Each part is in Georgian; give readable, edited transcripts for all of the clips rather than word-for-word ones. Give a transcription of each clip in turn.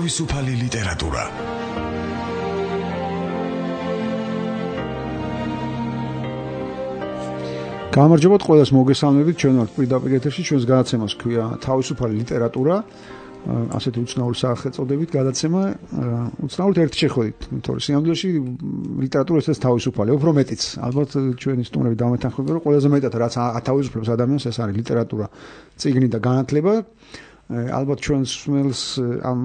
თავისუფალი ლიტერატურა. გამარჯობათ ყველას, მოგესალმებით. ჩვენ ვართ პირდაპირ ეთერში, ჩვენს გადაცემას ქვია თავისუფალი ლიტერატურა. ასეთი უცნაური სახელწოდებით გადაცემა, უცნაურად ერთ შეხვედით, თორე სიამოვნებაში ლიტერატურა ეს თავისუფალი, უფრო მეტიც. ალბათ ჩვენი სტუმრები დამეთანხმებიან, რომ ყველაზე მეტად რაც ათავისუფლებს ადამიანს, ეს არის ლიტერატურა, წიგნი და განათლება. ალბათ ჩვენს მსმენელს ამ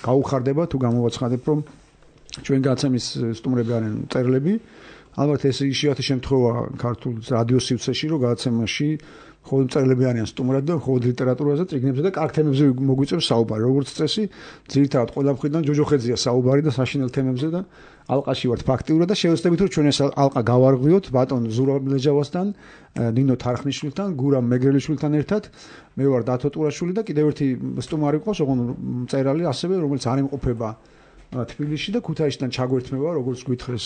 გაუხარდება თუ გამოვაცხადებ, რომ ჩვენ გადაცემის სტუმრები არიან მწერლები. ალბათ ეს იშვიათი შემთხვევა ქართულ რადიო სივრცეში, რომ გადაცემაში მხოლოდ მწერლები არიან სტუმრად და მხოლოდ ლიტერატურაზე, წიგნებზე და კარგ თემებზე მოგვიწევს საუბარი. როგორც წესი, ძირითადად ყველა მხრიდან ჯოჯოხეთზეა საუბარი და საშინელ თემებზე და ალყაში ვართ ფაქტიურად და შევეცდებით, რომ ჩვენ ეს ალყა გავარღვიოთ ბატონ ზურაბ ლეჯავასთან, ნინო თარხნიშვილთან, გურამ მეგრელიშვილთან ერთად. მე ვარ დათო ტურაშვილი და კიდევ ერთი სტუმარი ყავს, ოღონდ მწერალი ასევე, რომელიც არ იმყოფება თბილისში და ქუთაისიდან ჩაგვერთმევა, როგორც გითხრეს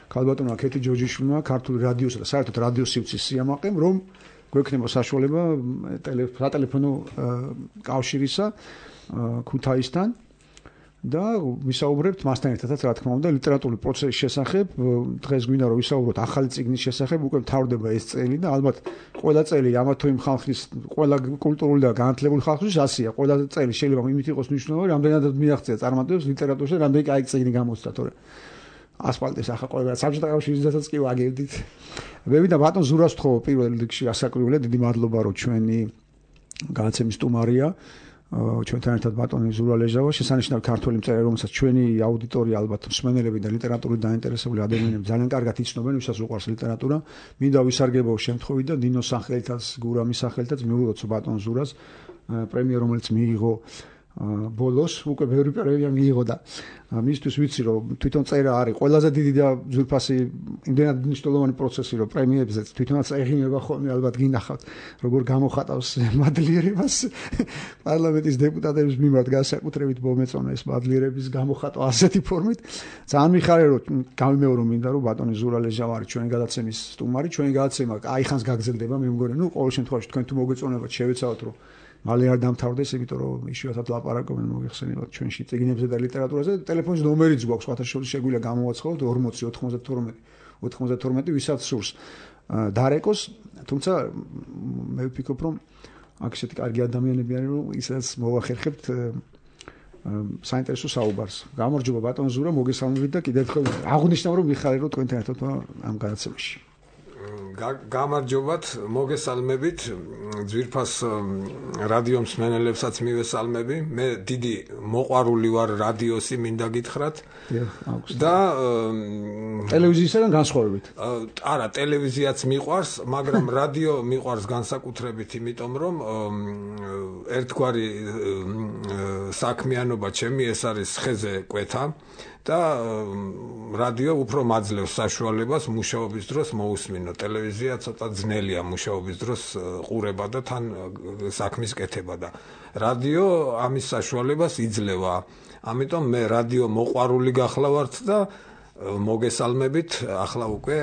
ქალბატონმა ქეთი ჯოჯიშვილმა, ქართული რადიოსა და საერთოდ რადიო სივრცის სიამაყემ, რომ გვექნება საშუალება სატელეფონო კავშირისა ქუთაისთან და ვისაუბრებთ მასთან ერთადაც, რა თქმა უნდა, ლიტერატურული პროცესის შესახებ. დღეს გვინდა რომ ვისაუბროთ ახალი წიგნის შესახებ, უკვე მთავრდება ეს წელი და ალბათ ყველა წელი ამა თუ იმ ხალხის, ყველა კულტურული და განათლებული ხალხის ასია. ყველა წელი შეიძლება იმით იყოს მნიშვნელოვანი, რამდენადაც მიაღწია წარმატებებს ლიტერატურაში და რამდენი კაი წიგნი გამოსცა, თორე ასფალტის ახლა ყველა საბჭოთა კავშირისთანაც კი ვაგებდით. მე ვიდა ბატონ ზურაბს ვთხოვ პირველ რიგში ასაკრივია, დიდი მადლობა რომ ჩვენი გადაცემის სტუმარია. ჩვენთან ერთად ბატონი ზურაბ ლეჟავა, შესანიშნავი ქართველი მწერალი, რომელსაც ჩვენი აუდიტორია ალბათ მსმენელები და ლიტერატურით დაინტერესებული ადამიანები ძალიან კარგად იცნობენ, ვისაც უყვარს ლიტერატურა. მინდა ვისარგებლო შემთხვევით და ნინოს სახელითაც, გურამის სახელითაც მივულოცო ბატონ ზურაბს პრემია, რომელიც მიიღო ბოლოს, უკვე ბევრი პრემია მიიღო და მისთვის ვიცი რომ თვითონ წერა არის ყველაზე დიდი და ძვირფასი, იმდენად მნიშვნელოვანი პროცესი, რომ პრემიებზეც თვითონაც ეღინება ხოლმე, ალბათ გინახავთ, როგორ გამოხატავს მადლიერებას პარლამენტის დეპუტატების მიმართ, განსაკუთრებით მომეწონა ეს მადლიერების გამოხატვა ასეთი ფორმით. ძალიან მიხარია რომ გამიმეორო მინდა რომ ბატონი ზურაბ ლეჟავა არის ჩვენი გადაცემის სტუმარი. ჩვენი გადაცემა აიხანს გაგრძელდება, მე მგონი, ყოველ შემთხვევაში თქვენ თუ მოგეწონებათ, შევეცავთ რომ მალე არ დამთავრდეს, იმიტომ რომ იშვიათად ლაპარაკობენ, მოგეხსენებათ ჩვენში წიგნებზე და ლიტერატურაზე. ტელეფონის ნომერიც გვაქვს, სხვათა შორის შეგვიძლია გამოვაცხადოთ 40 92 ვისაც სურს დარეკოს, თუმცა მე ვფიქრობ, რომ აქ ისეთი კარგი ადამიანები არიან, რომ ისაც მოვახერხებთ საინტერესო საუბარს. გამარჯობა ბატონ ზურაბ, მოგესალმებით და კიდევ ერთხელ აღნიშნავ, რომ მიხარია რომ თქვენთან ერთად ამ გადაცემაში. გამარჯობათ, მოგესალმებით, ძვირფას რადიო მსმენელებსაც მივესალმები. მე დიდი მოყვარული ვარ რადიოსი, მინდა გითხრათ. და ტელევიზიისგან განსხვავებით. არა, ტელევიზიაც მიყვარს, მაგრამ რადიო მიყვარს განსაკუთრებით, იმიტომ რომ ერთგვარი საქმიანობა ჩემი ეს არის ხეზე კვეთა და რადიო უფრო მაძლევს საშუალებას მუშაობის დროს მოусმინო. ტელევიზია ცოტა ძნელია მუშაობის დროს ყურება და თან საქმის კეთება და რადიო ამის საშუალებას იძლევა. ამიტომ მე რადიო მოყვარული გახლავართ და მოგესალმებით ახლა უკვე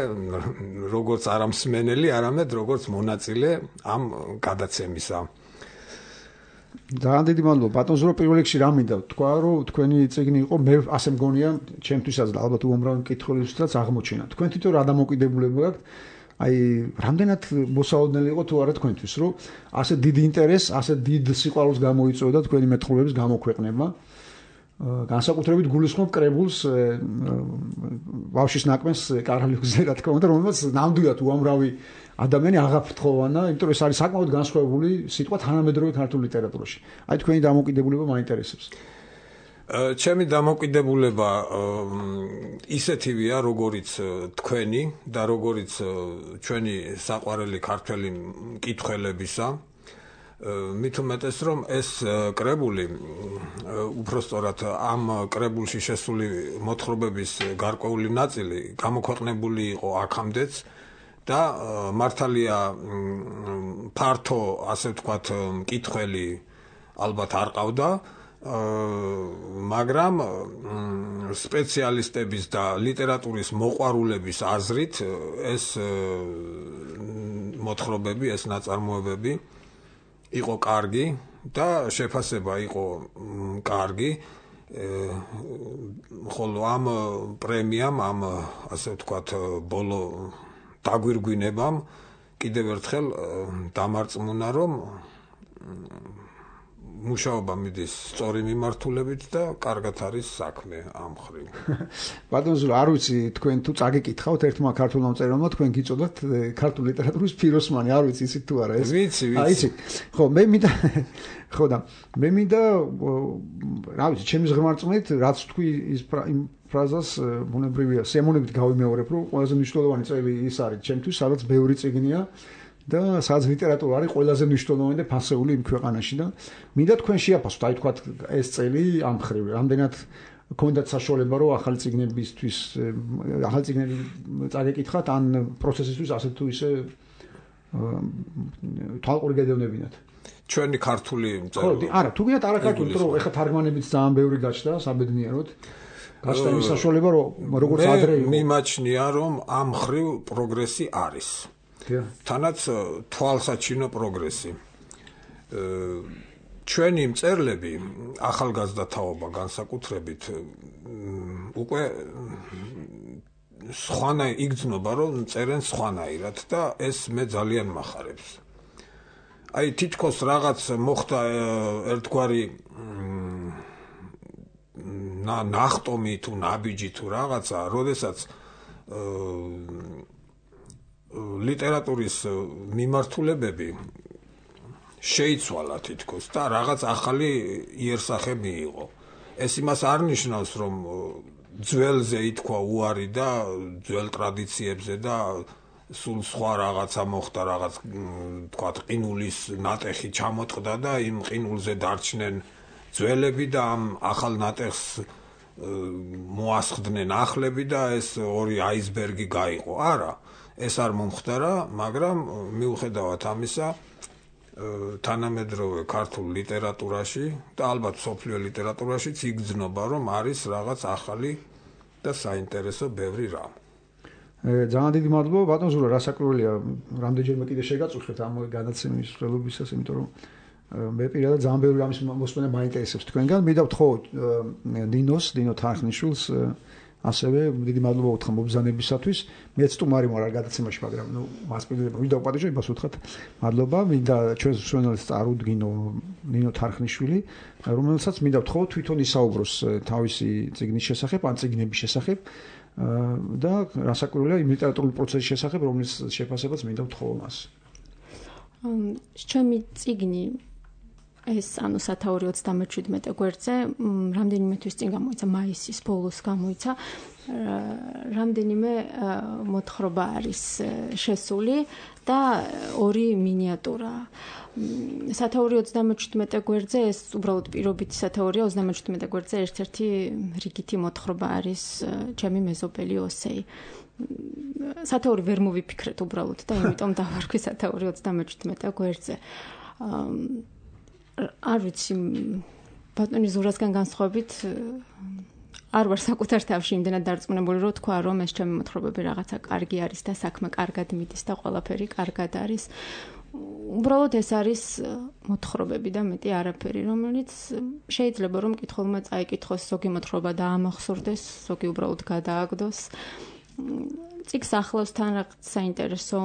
როგორც არა მსმენელი, არამედ როგორც მონაწილე ამ გადაცემისა. ძალიან დიდი მადლობა ბატონ ზურაბ, პირველ რიგში რა მინდა თქვა, რომ თქვენი წიგნი იყო, მე ასე მგონია ჩემთვისაც და ალბათ უამრავი მკითხველისთვისაც აღმოჩენა. თქვენ თვითონ რა დამოკიდებულება გაქვთ? აი, რამდენად მოსაოდნელი იყო თუ არა თქვენთვის, რომ ასე დიდი ინტერესს, ასე დიდ სიყვარულს გამოიწვევდა თქვენი მეტყველების გამოქვეყნება. განსაკუთრებით გულისხმობ კრებულს ბავშვის ნაკმენს კარალიოზე, რა თქმა უნდა, რომელსაც ნამდვილად უამრავი ადამიანი აღაფრთხოვანა, იმიტომ რომ ეს არის საკმაოდ განსხვავებული სიტყვა თანამედროვე ქართულ ლიტერატურაში. აი, თქვენი დამოკიდებულება მაინტერესებს. ჩემი დამოკიდებულება ისეთივეა, როგორიც თქვენი და როგორიც ჩვენი საყვარელი ქართველი მკითხველებისა. მით უმეტეს რომ ეს კრებული, უпростоრად ამ კრებულში შესული მოთხრობების გარკვეული ნაწილი გამოქვეყნებული იყო აქამდეც და მართალია ფართო, ასე ვთქვათ, მკითხველი ალბათ არ ყავდა, მაგრამ სპეციალისტების და ლიტერატურის მოყვარულების აზრით ეს მოთხრობები, ეს ნაწარმოებები იყო კარგი და შეფასება იყო კარგი. ხოლო ამ პრემიამ, ამ ასე ვთქვათ, ბოლო დაგვირგვინებამ კიდევ ერთხელ დამარწმუნა, რომ მუშაობა მიდის სწორი მიმართულებით და კარგად არის საქმე ამ ხრივ. ბატონო ზურა, არ ვიცი თქვენ თუ წაგიკითხავთ ერთმა ქართულმა მწერალმა თქვენ გიწოდათ ქართული ლიტერატურის ფიროსმანი, არ ვიცი იცით თუ არა ეს? ვიცი. იცი. ხო, მე მინდა ხო და მე მინდა რა ვიცი, ჩემი ღმერთწმით, რაც თქვი ის იმ ფრაზას ბუნებრივია, სიამოვნებით გავიმეორებ, რომ ყველაზე მნიშვნელოვანი წელი ის არის ჩემთვის, სადაც ბევრი წიგნია და სადაც ლიტერატურა არის ყველაზე მნიშვნელოვანი და ფასეული იმ ქვეყანაში და მინდა თქვენ შეაფასოთ, აი თქვათ ეს წელი ამ ხრივ, რამდენად გქონდათ საშუალება, რომ ახალი წიგნებისთვის, ახალი წიგნები წაგეკითხათ, ან პროცესისთვის ასე თუ ისე თვალყური გედევნებინათ. ჩვენი ქართული ხო, მწერლობა. არა, თუ გინდათ არაქართული, იმიტომ რომ ეხლა თარგმანებიც ძალიან ბევრი გაჩნდა, საბედნიეროდ. გაჩნდა ის საშუალება, რომ როგორც ადრე იყო. მიმაჩნია, რომ ამ ხრივ პროგრესი არის. თანაც თვალსაჩინო პროგრესი. ჩვენი მწერლები, ახალგაზრდა თაობა განსაკუთრებით, უკვე სხვანაირ იგრძნობა, რომ წერენ სხვანაირად და ეს მე ძალიან მახარებს. აი თითქოს რაღაც მოხდა ერთგვარი ნახტომი თუ ნაბიჯი თუ რაღაცა, როდესაც ლიტერატურის მიმართულებები შეიცვალა თითქოს და რაღაც ახალი იერსახე მიიღო. ეს იმას არ ნიშნავს, რომ ძველზე ითქვა უარი და ძველ ტრადიციებზე და სულ სხვა რაღაცა მოხდა, რაღაც თქვათ ყინულის ნატეხი ჩამოტყდა და იმ ყინულზე დარჩნენ ძველები და ამ ახალ ნატეხს მოასხდნენ ახლები და ეს ორი აისბერგი გაიყო. არა, ეს არ მომხდარა, მაგრამ მიუხედავად ამისა თანამედროვე ქართულ ლიტერატურაში და ალბათ სოფლიო ლიტერატურაშიც იგრძნობა, რომ არის რაღაც ახალი და საინტერესო ბევრი რამ. ძალიან დიდი მადლობა ბატონ ზურა, რასაკვირველია, რამდენჯერმე კიდე შეგაწუხეთ ამ განაცემის მსვლელობისას, იმიტომ რომ მე პირადად ძალიან ბევრი რამის მოსმენა მაინტერესებს თქვენგან. მივდავთ ხო დინო თანხნიშვილს ასევე დიდი მადლობა უთხრა მობრძანებისათვის. მეც სტუმარი ვარ არ გადაცემაში, მაგრამ მასპინძლებ რომ დავპატიჟო, იმას უთხრათ მადლობა. მინდა ჩვენს მსმენელს წარუდგინო ნინო თანხნიშვილი, რომელსაც მინდა ვთხოვო თვითონ ისაუბროს თავისი წიგნის შესახებ, ან წიგნების შესახებ და რასაკვირველია იმ ლიტერატურული პროცესის შესახებ, რომლის შეფასებაც მინდა ვთხოვო მას. ჩემი წიგნი ეს ანუ სათაური 37 გვერდზე რამდენიმე თვის წინ გამოიცა, მაისის ბოლოს გამოიცა. რამდენიმე მოთხრობა არის შესული და ორი მინიატურა. სათაური 37 გვერდზე ეს უბრალოდ პირობითი სათაურია, 37 გვერდზე ერთ-ერთი რიგითი მოთხრობა არის ჩემი მეზობელი ოსეი. სათაური ვერ მოვიფიქრეთ უბრალოდ და იმიტომ დავარქვი სათაური 37 გვერდზე. არ ვიცი, ბატონი ზურასგან განსხვავებით არ ვარ საკუთარ თავში იმდენად დარწმუნებული, რომ თქვა, რომ ეს ჩემი მოთხრობები რაღაცა კარგი არის და საქმე კარგად მიდის და ყველაფერი კარგად არის. უბრალოდ ეს არის მოთხრობები და მეტი არაფერი, რომელიც შეიძლება რომ მკითხველმა წაიკითხოს, ზოგი მოთხრობა დაამახსოვრდეს, ზოგი უბრალოდ გადააგდოს. წიგნს ახლავს თან რაღაც საინტერესო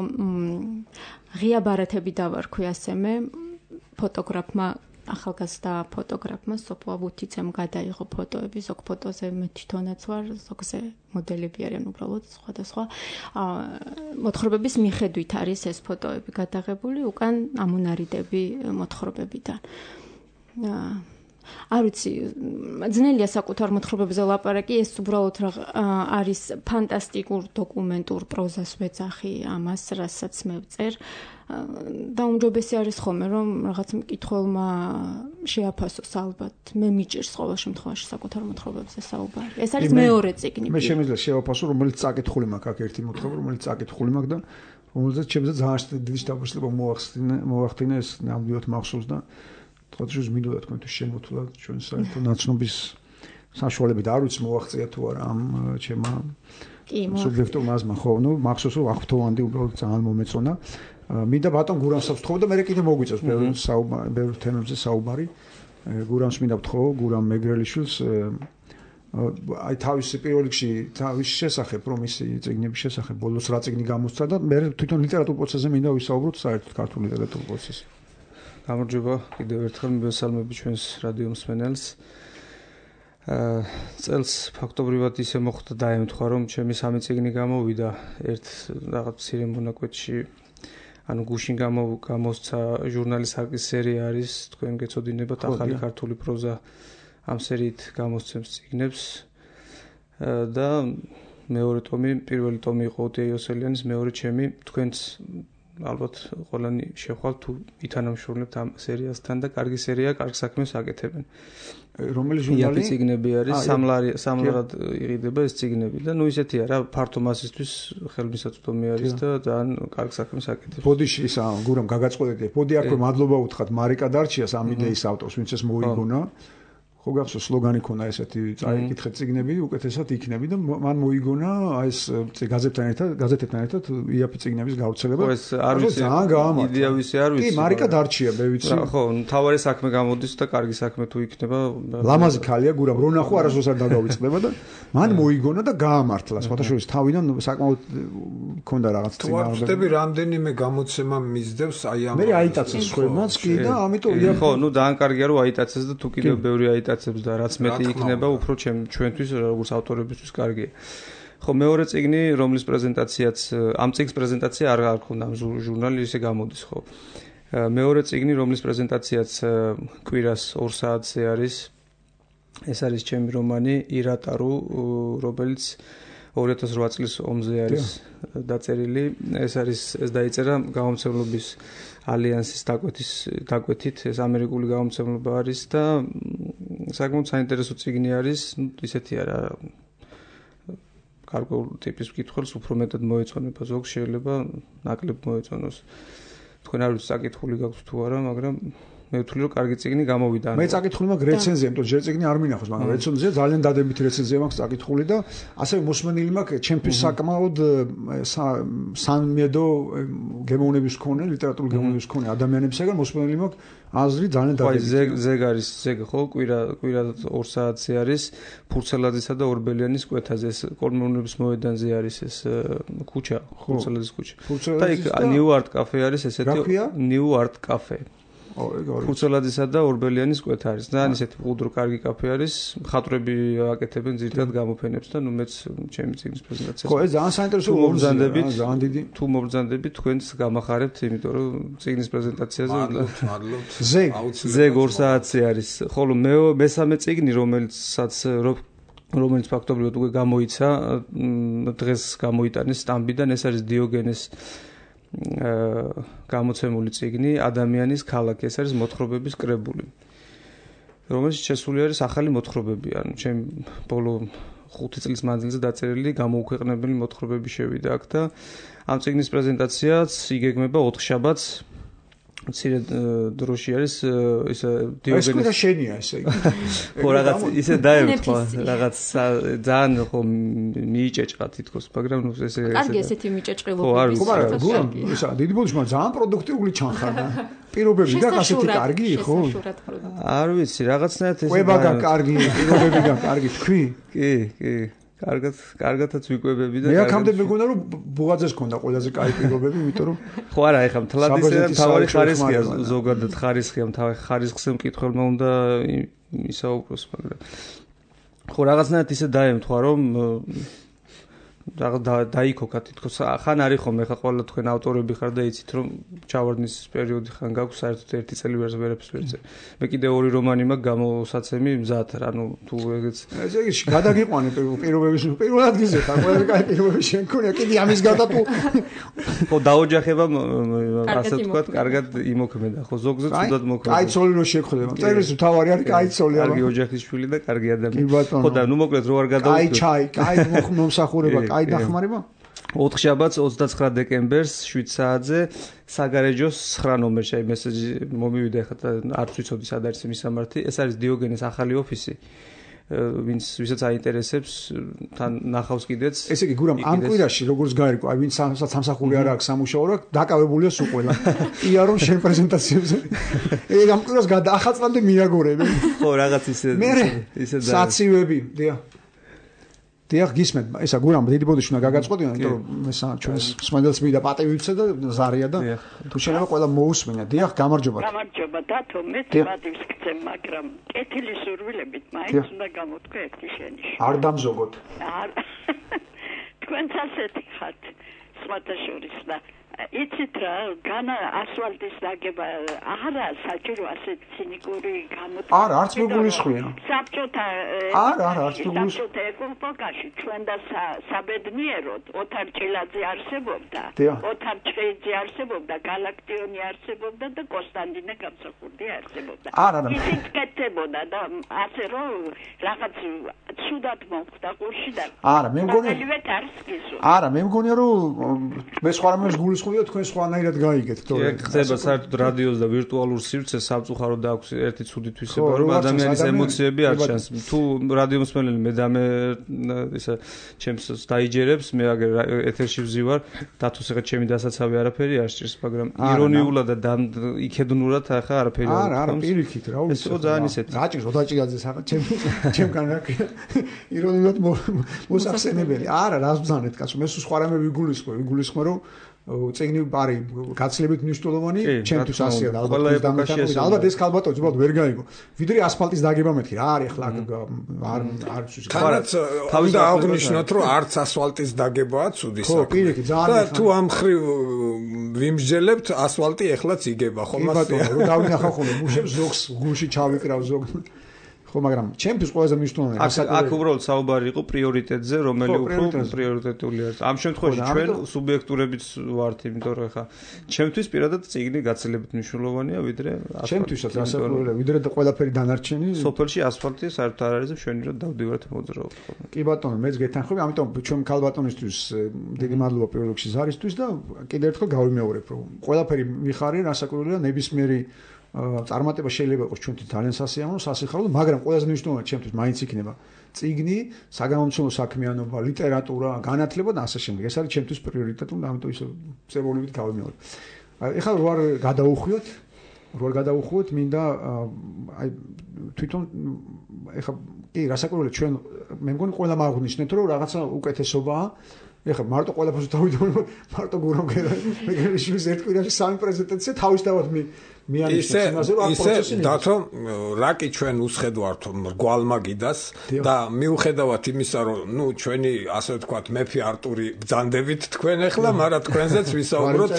ღია ბარათები დავარქვი ასე მე. ფოტოგრაფმა, ახალგაზრდა ფოტოგრაფმა სოფო აბუთიცემ გადაიღო ფოტოები, ზოგ ფოტოზე მე თვითონაც ვარ, ზოგზე მოდელები არიან უბრალოდ სხვადასხვა. მოთხრობების მიხედვით არის ეს ფოტოები გადაღებული, უკან ამონარიდები მოთხრობებიდან. არ ვიცი, ძნელია საკუთარ მოთხრობებზე ლაპარაკი, ეს უბრალოდ არის ფანტასტიკურ დოკუმენტურ პროზას ვეძახი ამას, რასაც მე ვწერ. დაუმჯობესი არის ხოლმე, რომ რაღაც მკითხველმა შეაფასოს ალბათ. მე მიჭირს ყოველ შემთხვევაში საკუთარ მოთხრობებზე საუბარი. ეს არის მეორე წიგნი. მე შემიძლია შევაფასო, რომელიც წაკითხული მაქვს, აქ ერთი მოთხრობა, რომელიც წაკითხული მაქვს და რომელზეც ჩემზე ძალიან დიდი შთაბეჭდილება მოახდინა, ეს ნამდვილად მახსოვს და თქოს მინდოდა თქვენ თუ შემოთვლათ ჩვენ საერთო ნაცნობის საშუალებით, არ ვიცი მოაღწია თუ არა ამ ჩემმა სუბიექტურმა აზრმა, ხო, ნუ მახსოვს რომ აღფრთოვანდი უბრალოდ ძალიან მომეწონა. მინდა ბატონ გურამსავს ვთხოვო და მე კიდე მოგვიწევს ბევრ თემებზე საუბარი. გურამს მინდა ვთხოვ, გურამ მეგრელიშვილს აი თავის პირველ რიგში თავის შესახებ, რომ ისი წიგნების შესახებ ბოლოს რა წიგნი გამოსცა და მე თვითონ ლიტერატურულ პროცესზე მინდა ვისაუბროთ საერთოდ ქართულ ლიტერატურულ პროცესზე. გამარჯობა, კიდევ ერთხელ მივესალმები ჩვენს რადიო მსმენელს. წელს ფაქტობრივად ისე მოხდა დაემთხვა, რომ ჩემი 3 წიგნი გამოვიდა ერთ რაღაც მცირე მონაკვეთში. ანუ გუშინ გამოსცა ჟურნალის ჰაკის სერია არის, თქვენ გეცოდინებათ ახალი ქართული პროზა ამ სერიით გამოსცემს წიგნებს და მეორე ტომი, პირველი ტომი იყო ოტია იოსელიანის, მეორე ჩემი, თქვენც ალბათ ყველანი შეხვალთ თუ ითანამშრომლებთ ამ სერიასთან და კარგი სერია, კარგ საქმეს აკეთებენ. რომელი ჟურნალი? წიგნები არის, სამლარად იყიდება ეს წიგნები და ნუ ისეთია რა, ფართო მასისთვის ხელმისაწვდომი არის და ძალიან კარგ საქმეს აკეთებს. ბოდიში ისა გურამ გაგაწყვეტეთ. ბოდი აქვე მადლობა უთხრათ მარიკა დარჩიას ამ იდეის ავტორს, ვინც ეს მოიგონა. ხო გახსოვს სლოგანი ქონა ესეთი წაიკითხეთ წიგნები, უკეთესად იქნები და მან მოიგონა ეს გაზეთებთან ერთად იაფი წიგნების გავრცელება. ხო ეს არ ვიცი, ძალიან გაამართლა. იდეა ვისი არ ვიცი. კი, მარიკა დარჩია, მე ვიცი. ხო, თავარი საქმე გამოდის და კარგი საქმე თუ იქნება. ლამაზი ქალია გურამ, რო ნახო არასდროს არ დაგავიწყდება და მან მოიგონა და გაამართლა. სხვათაშორის თავიდან საკმაოდ ქონდა რაღაც წიგნი. თუ ვარ რამდენიმე გამოცემა მისდევს აი ამ. მე აიტაცეს ხვემაც კი და ამიტომ ხო, ნუ ძალიან კარგია რომ აიტაცეს და თუ კიდევ ბევრი აიტაცებს და რაც მეტი იქნება, უფრო ჩვენთვის როგორც ავტორებისთვის კარგია. ხო, მეორე წიგნი, რომლის პრეზენტაციაც ამ წიგნის პრეზენტაცია არ გქონდა ამ ჟურნალი ისე გამოდის, ხო. მეორე წიგნი, რომლის პრეზენტაციაც კვირას 2 საათზე არის. ეს არის ჩემი რომანი ირატარუ, რომელიც 2008 წლის ომზე არის დაწერილი. ეს დაიწერა გამომცემლობის ალიანსის დაკვეთით, ეს ამერიკული გამომცემლობა არის და საკმაოდ საინტერესო წიგნი არის, ნუ ისეთია რა. გარკვეულ ტიპის მკითხველს უფრო მეტად მოეწონება, ზოგს შეიძლება ნაკლებ მოეწონოს. თქვენ არ ვიცით საკითხული გაქვთ თუ არა, მაგრამ მე ვთვლი რომ კარგი წიგნი გამოვიდა. მე წაკითხული მაქვს რეცენზია, იმიტომ ჯერ წიგნი არ მინახავს, მაგრამ რეცენზია ძალიან დადებითი რეცენზია მაქვს წაკითხული და ასევე მოსმენილი მაქვს ჩემთვის საკმაოდ სამედო გემოვნების მქონე, ლიტერატურული გემოვნების მქონე ადამიანებისგან მოსმენილი მაქვს აზრი ძალიან დადებითი. ზეგ არის, ხო, კვირა 2 საათზე არის ფურცელაძისა და ორბელიანის კვეთაზე, ეს კოლმეურნეობის მოედანზე არის ეს ქუჩა, ფურცელაძის ქუჩა. და იქ ნიუ არტ კაფე არის ესეთი ნიუ არტ კაფე. ფურცელაძისა და ორბელიანის კვეთა არის. ძალიან ისეთი მყუდრო კარგი კაფე არის. მხატვრები აკეთებენ ძირითადად გამოფენებს და ნუ მეც ჩემი წიგნის პრეზენტაციას. ხო, ეს ძალიან საინტერესო მობრძანდებით, ძალიან დიდი. თუ მობრძანდებით, თქვენც გამახარებთ, იმიტომ რომ წიგნის პრეზენტაციაზე მადლობთ. ზეგ 2 საათზე არის. ხოლო მესამე წიგნი, რომელიც ფაქტობრივად უკვე გამოიცა, დღეს გამოიტანეს სტამბიდან, ეს არის დიოგენეს გამოცემული წიგნი ადამიანის ქალაქი, ეს არის მოთხრობების კრებული, რომელიც შესული არის ახალი მოთხრობები, ანუ ჩემ ბოლო 5 წლის მანძილზე დაწერილი გამოუქვეყნებელი მოთხრობები შევიდა აქ და ამ წიგნის პრეზენტაციაც იგეგმება 4 შაბათს. მცირე დროში არის ისე დიოგენეს. ეს შენია ესე იგი. ხო, რაღაც ისე დაემთხვა, რაღაც ძალიან ხო მიიჭეჭყა თითქოს, მაგრამ ნუ ესე კარგი ესეთი მიჭეჭყილობები. ხო, მაგრამ ისა დიდი ბოდიშმა ძალიან პროდუქტიული ჩანხარდა. პირობები გაქვს ასეთი კარგი, ხო? არ ვიცი, რაღაცნაირად ეს ყვება გაქვს კარგი, პირობები გაქვს კარგი, თქვი? კი. კარგათაც ვიკვებები და მე აქამდე მეგონა რომ ბუღაძეს ქონდა ყველაზე კაი პირობები, იმიტომ რომ ხო არა, ეხლა თლადისიდან თავი ხარისხია, ზოგადად ხარისხია, ხარისხზე მკითხველმა უნდა ისაუბროს, მაგრამ ხო რაღაცნაირად ისე დაემთხვა, რომ დაიქოქა თითქოს ხან არის ხომ ეხლა ყველა თქვენ ავტორები ხარ და იცით რომ ჩავარდნის პერიოდი ხან გაქვს საერთოდ 1 წელი ვერაფერს ვერ წერე. მე კიდე 2 რომანი მაქვს გამოსაცემი მზად, ანუ თუ ეგეც ეს გადაგიყვანე პირობების პირველ ადგილზე ხარ, ყველა კაი პირობები შენ ქონია, კიდე ამის გარდა თუ ხო დაოჯახება ასე ვთქვათ, კარგად იმოქმედა, ხო ზოგზე თუდად მოქმედა. კაი ცოლი რო შეგხვდება, წერის თავარი არის კაი ცოლი, კარგი ოჯახის შვილი და კარგი ადამიანი. ხო და ნუ მოკლედ რო არ გადავუდგე. კაი ჩაი, კაი მომსახურება, კაი დახმარება. 4 შაბათს 29 დეკემბერს 7 საათზე საგარეჯოს 9 ნომერში აი მესეჯი მომივიდა, ეხლა არც ვიცოდი სად არის მისამართი. ეს არის დიოგენეს ახალი ოფისი. ვისაც აინტერესებს თან ნახავს კიდეც. ესე იგი გურამ ამ კვირაში როგორც გაირკვა, აი ვინც სამსახური არ აქვს, სამუშაო რა, დაკავებულია სულ ყველა. კი არ რომ შენ პრეზენტაციებზე. ეგ ამ კვირას ახალწლამდე მიაგორებენ. ხო, რაღაც ისე და საცივები, დიახ, გისმენთ, ესა გურამ დიდი ბოდიში უნდა გაგაწყოდინო, იმიტომ რომ ესა ჩვენს სმენელს მიდა პატივიცე და ზარია და თუ შეიძლება ყველა მოусმინა. დიახ, გამარჯობა. გამარჯობა დათო, მე პატივს გცემ, მაგრამ კეთილი სურვილებით მაინც უნდა გამოთქვა ერთი შენიშნა. არ დამზოგოთ. არ. თქვენც ასეთი ხართ, სხვათა შორის და იცით რა, განა ასფალტის დაგება არა საჭირო ასეთ ცინიკური გამოთქვა. არა, არც მეგულისხმია. საბჭოთა არც მეგულისხმია. საბჭოთა ეკონომიკაში ჩვენ და საბედნიეროდ ოთარ ჭილაძე არსებობდა, ოთარ ჭეიძე არსებობდა, გალაქტიონი არსებობდა და კონსტანტინე გამსახურდი არსებობდა. ისიც კეთებოდა და ასე რომ რაღაც ცუდად მომხდა ყურში და არა, მე მგონია არა, მე მგონია რომ მე სხვა რამეს გულისხმობ თქვენ სხვანაირად გაიგეთ, თორე ხდება საერთოდ რადიოს და ვირტუალურ სივრცეს სამწუხარო და აქვს ერთი ცუდი თვისება, რომ ადამიანის ემოციები არ ჩანს. თუ რადიო მსმენელი მე და მე ისა ჩემს დაიჯერებს, მე აგერ ეთერში ვზივარ, დათოს ახლა ჩემი დასაცავი არაფერი არ სჭირს, მაგრამ ირონიულად და იქედნურად ახლა არაფერი არ არა, პირიქით რა ვიცი. ეს ძალიან ისეთი. გაჭირს ოდაჭიგაძეს ახლა ჩემგან რა ირონიულად მოსახსენებელი. არა, რას ბრძანეთ კაცო, მე სხვა რამე ვიგულისხმე, რომ წიგნი პარი გაცილებით მნიშვნელოვანი ჩემთვის ასეა და ალბათ ეს ქალბატონი უბრალოდ ვერ გაიგო ვიდრე ასფალტის დაგება მეთქი რა არის ახლა არ ვიცი თანაც უნდა აღნიშნოთ რომ არც ასფალტის დაგებაა ცუდი საქმე და თუ ამ ხრივ ვიმსჯელებთ ასფალტი ეხლაც იგება ხომ ბატონო რომ დავინახავ ხოლმე მუშებს ზოგს გულში ჩავიკრავ ზოგ ხო მაგრამ ჩემთვის ყველაზე მნიშვნელოვანი აქ უბრალოდ საუბარი იყო პრიორიტეტზე რომელი უფრო პრიორიტეტული არის ამ შემთხვევაში ჩვენ სუბიექტურებიც ვართ იმიტომ რომ ხა ჩემთვის პირადად წიგნი გაცილებით მნიშვნელოვანია ვიდრე ჩემთვისაც რასაკვირველია ვიდრე და ყველაფერი დანარჩენი სოფელში ასფალტი საერთოდ არ არის და შენი რომ დავდივართ მოძრაობთ კი ბატონო მეც გეთანხმები ამიტომ ჩვენ ქალბატონისთვის დიდი მადლობა პირველ რიგში ზარისთვის და კიდევ ერთხელ გავიმეორებ რომ ყველაფერი მიხარია რასაკვირველია ნებისმიერი წარმატება შეიძლება იყოს ჩვენთვის ძალიან სასიამოვნო, სასიხარულო, მაგრამ ყველაზე მნიშვნელოვანი ჩემთვის მაინც იქნება წიგნი, საგამომცემლო საქმიანობა, ლიტერატურა, განათლება და ასე შემდეგ. ეს არის ჩემთვის პრიორიტეტი და ამიტომ ისე წებულებით გავიმეორებ. ეხლა როარ გადავუხვოთ, მინდა აი თვითონ ეხლა კი რასაკვირველია ჩვენ მე მგონი ყველა მაღვნიშნეთ რომ რაღაცა უკეთესობაა ეხლა მარტო ყველაფერს დავიდოდი მარტო გურამ გერაშვილის ერთ კვირაში 3 პრეზენტაცია თავისთავად ისე დათო რაკი ჩვენ უსხედვართ მრგვალმაგიდას და მიუხედავად იმისა რომ ნუ ჩვენი ასე ვთქვათ მეფე არტური ბრძანდებით თქვენ ეხლა მაგრამ თქვენზეც ვისაუბროთ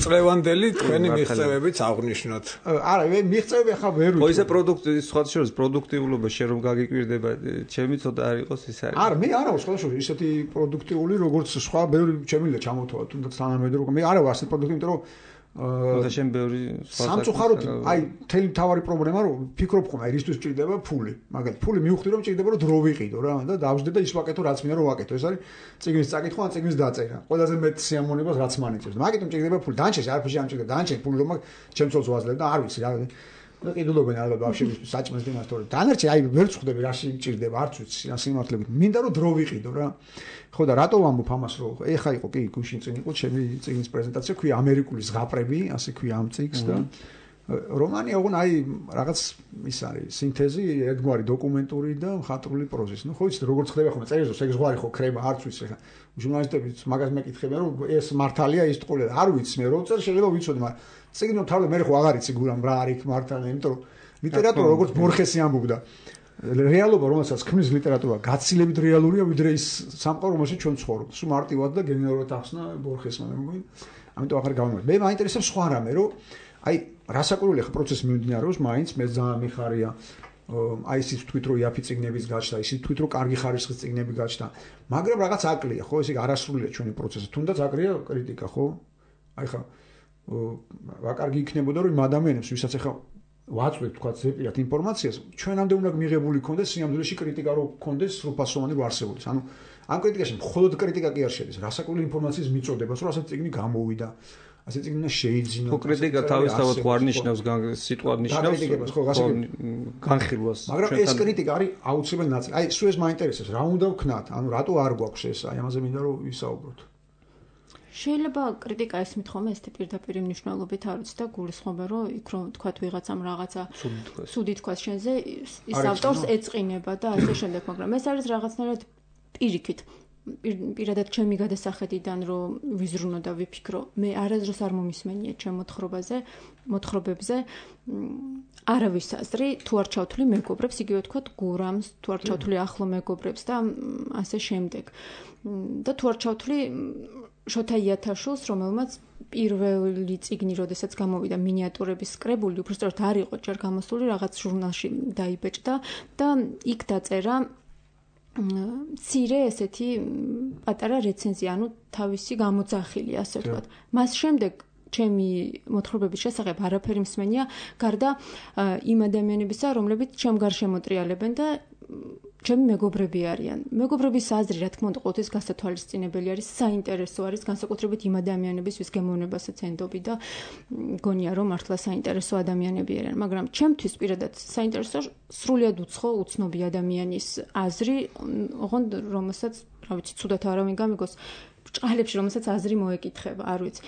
წლევანდელი თქვენი მიღწევებიც აღნიშნოთ არა მე მიღწევები ახლა ვერ ვიცი ხო ისე პროდუქტი სხვა შორის პროდუქტიულობა შე რომ გაგიკვირდება ჩემი ცოტა არ იყოს ის არის არა მე არა სხვა შორის ისეთი პროდუქტიული როგორც სხვა ბევრი ჩემი ჩამოთვალა თუნდაც თანამედროვე მე არა ვარ ასეთი პროდუქტი იმიტომ რომ და შენ ბევრი სამწუხაროდ აი თელი თავარი პრობლემა რომ ფიქრობ ხომ აი რისთვის ჭირდება ფული მაგალითად ფული მივხვდი რომ ჭირდება რომ დრო ვიყიდო რა და დავждე და ის ვაკეთო რაც მინდა რომ ვაკეთო ეს არის წიგნის წაკითხვა ან წიგნის დაწერა ყველაზე მეტ სიამოვნებას რაც მანიჭებს მაგიტომ ჭირდება ფული დანჩენს არაფერში არ ჭირდება დანჩენ ფული რომ ჩემცოლს ვაძლევ და არ ვიცი რა და კიდულობენ ალბათ ბავშვების საჭმელს დიმას თორე დანარჩენ აი ვერ წხვდები რაში ჭირდება არც ვიცი ან სიმართლებით მინდა რომ დრო ვიყიდო რა ხო და რატო ვამბობ ამას რომ ეხა იყო კი გუშინ წინ იყო ჩემი წიგნის პრეზენტაცია ქვია ამერიკული ზღაპრები ასე ქვია ამ წიგნს და რომანი ოღონ აი რაღაც ის არის სინთეზი ერთგვარი დოკუმენტური და მხატვრული პროზის ნუ ხო იცით როგორც ხდება ხოლმე წერილს ეგ ზღვარი ხო ხრება არც ვიცი ხა ჟურნალისტებიც მაგას მეკითხებიან რომ ეს მართალია ის ტყუილად არ ვიცი მე რო წერ შეიძლება ვიცოდი მაგრამ წიგნო თავი მე ხო აღარ იცი გურამ რა არის მართალი იმიტომ რომ ლიტერატურა როგორც ბორხესი ამბობდა რეალობა რომელსაც ქმნის ლიტერატურა გაცილებით რეალურია ვიდრე ის სამყარო რომელშიც ჩვენ ცხოვრობთ სულ მარტივად და გენერალურად ახსნა ბორხესმა მე მგონი ამიტომ ახლა გავიმეორებ მე მაინტერესებს სხვა რამე რომ აი რასაკვირველია ხო პროცესი მიმდინარეობს მაინც მე ძალიან მიხარია აი ისიც თქვით რომ იაფი წიგნების გაჩნდა ისიც თქვით რომ კარგი ხარისხის წიგნები გაჩნდა მაგრამ რაღაც აკლია ხო ესე არასრულია ჩვენი პროცესი თუნდაც აკლია კრიტიკა ხო აი ხა ვაკარგი იქნებოდა რომ იმ ადამიანებს ვისაც ახლა ვაწვევთ თქვა ზეპირად ინფორმაციას ჩვენამდე უნდა მიღებული კონდეს სიამძულეში კრიტიკა რო კონდეს სრულფასოვანი რო არსებობდეს ანუ ამ კრიტიკაში მხოლოდ კრიტიკა კი არ შედის რასაკვირველი ინფორმაციის მიწოდებას რომ ასეთ წიგნი გამოვიდა ასე წიგნი უნდა შეიძინო. ხო, კრიტიკა თავისთავად ხო არ ნიშნავს სიტყვად ნიშნავს განხილვას. მაგრამ ეს კრიტიკა არის აუცილებელი ნაწილი. აი, სულ ეს მაინტერესებს, რა უნდა ვქნათ? ანუ რატო არ გვაქვს ეს? აი, ამაზე მინდა რომ ვისაუბროთ. შეიძლება კრიტიკა ესმით ხოლმე ესეთი პირდაპირ მნიშვნელობით არ ვიცი და გულისხმობა რომ იქ რომ თქვათ ვიღაცამ რაღაცა სუდი თქვას შენზე ის ავტორს ეწყინება და ასე შემდეგ, მაგრამ ეს არის რაღაცნაირად პირიქით პირადად ჩემი გადასახედიდან რომ ვიზრუნო და ვიფიქრო მე არასდროს არ მომისმენია ჩემ მოთხრობებზე არავის აზრი თუ არ ჩავთვლი მეგობრებს იგივე თქვათ გურამს თუ არ ჩავთვლი ახლო მეგობრებს და ასე შემდეგ და თუ არ ჩავთვლი შოთა იათაშვილს, რომელმაც პირველი წიგნი, როდესაც გამოვიდა მინიატურების კრებული, უბრალოდ არ იყო ჯერ გამოსული, რაღაც ჟურნალში დაიბეჭდა და იქ დაწერა მცირე ესეთი პატარა რეცენზია, ანუ თავისი გამოძახილი, ასე ვთქვათ. მას შემდეგ ჩემი მოთხრობების შესახებ არაფერი მსმენია, გარდა იმ ადამიანებისა, რომლებიც ჩემ გარშემო მოტრიალებენ და ჩემი მეგობრები არიან. მეგობრების აზრი, რა თქმა უნდა, ყოველთვის გასათვალისწინებელი არის, საინტერესო არის, განსაკუთრებით იმ ადამიანების, ვის გემოვნებასაც ენდობი და გონია, რომ მართლა საინტერესო ადამიანები არიან. მაგრამ ჩემთვის პირადად საინტერესო სრულიად უცნობი ადამიანის აზრი, ოღონდ რომელსაც, რა ვიცი, ცუდად არავინ გამიგოს, ბრჭყალებში, რომელსაც აზრი მოეკითხება, არ ვიცი.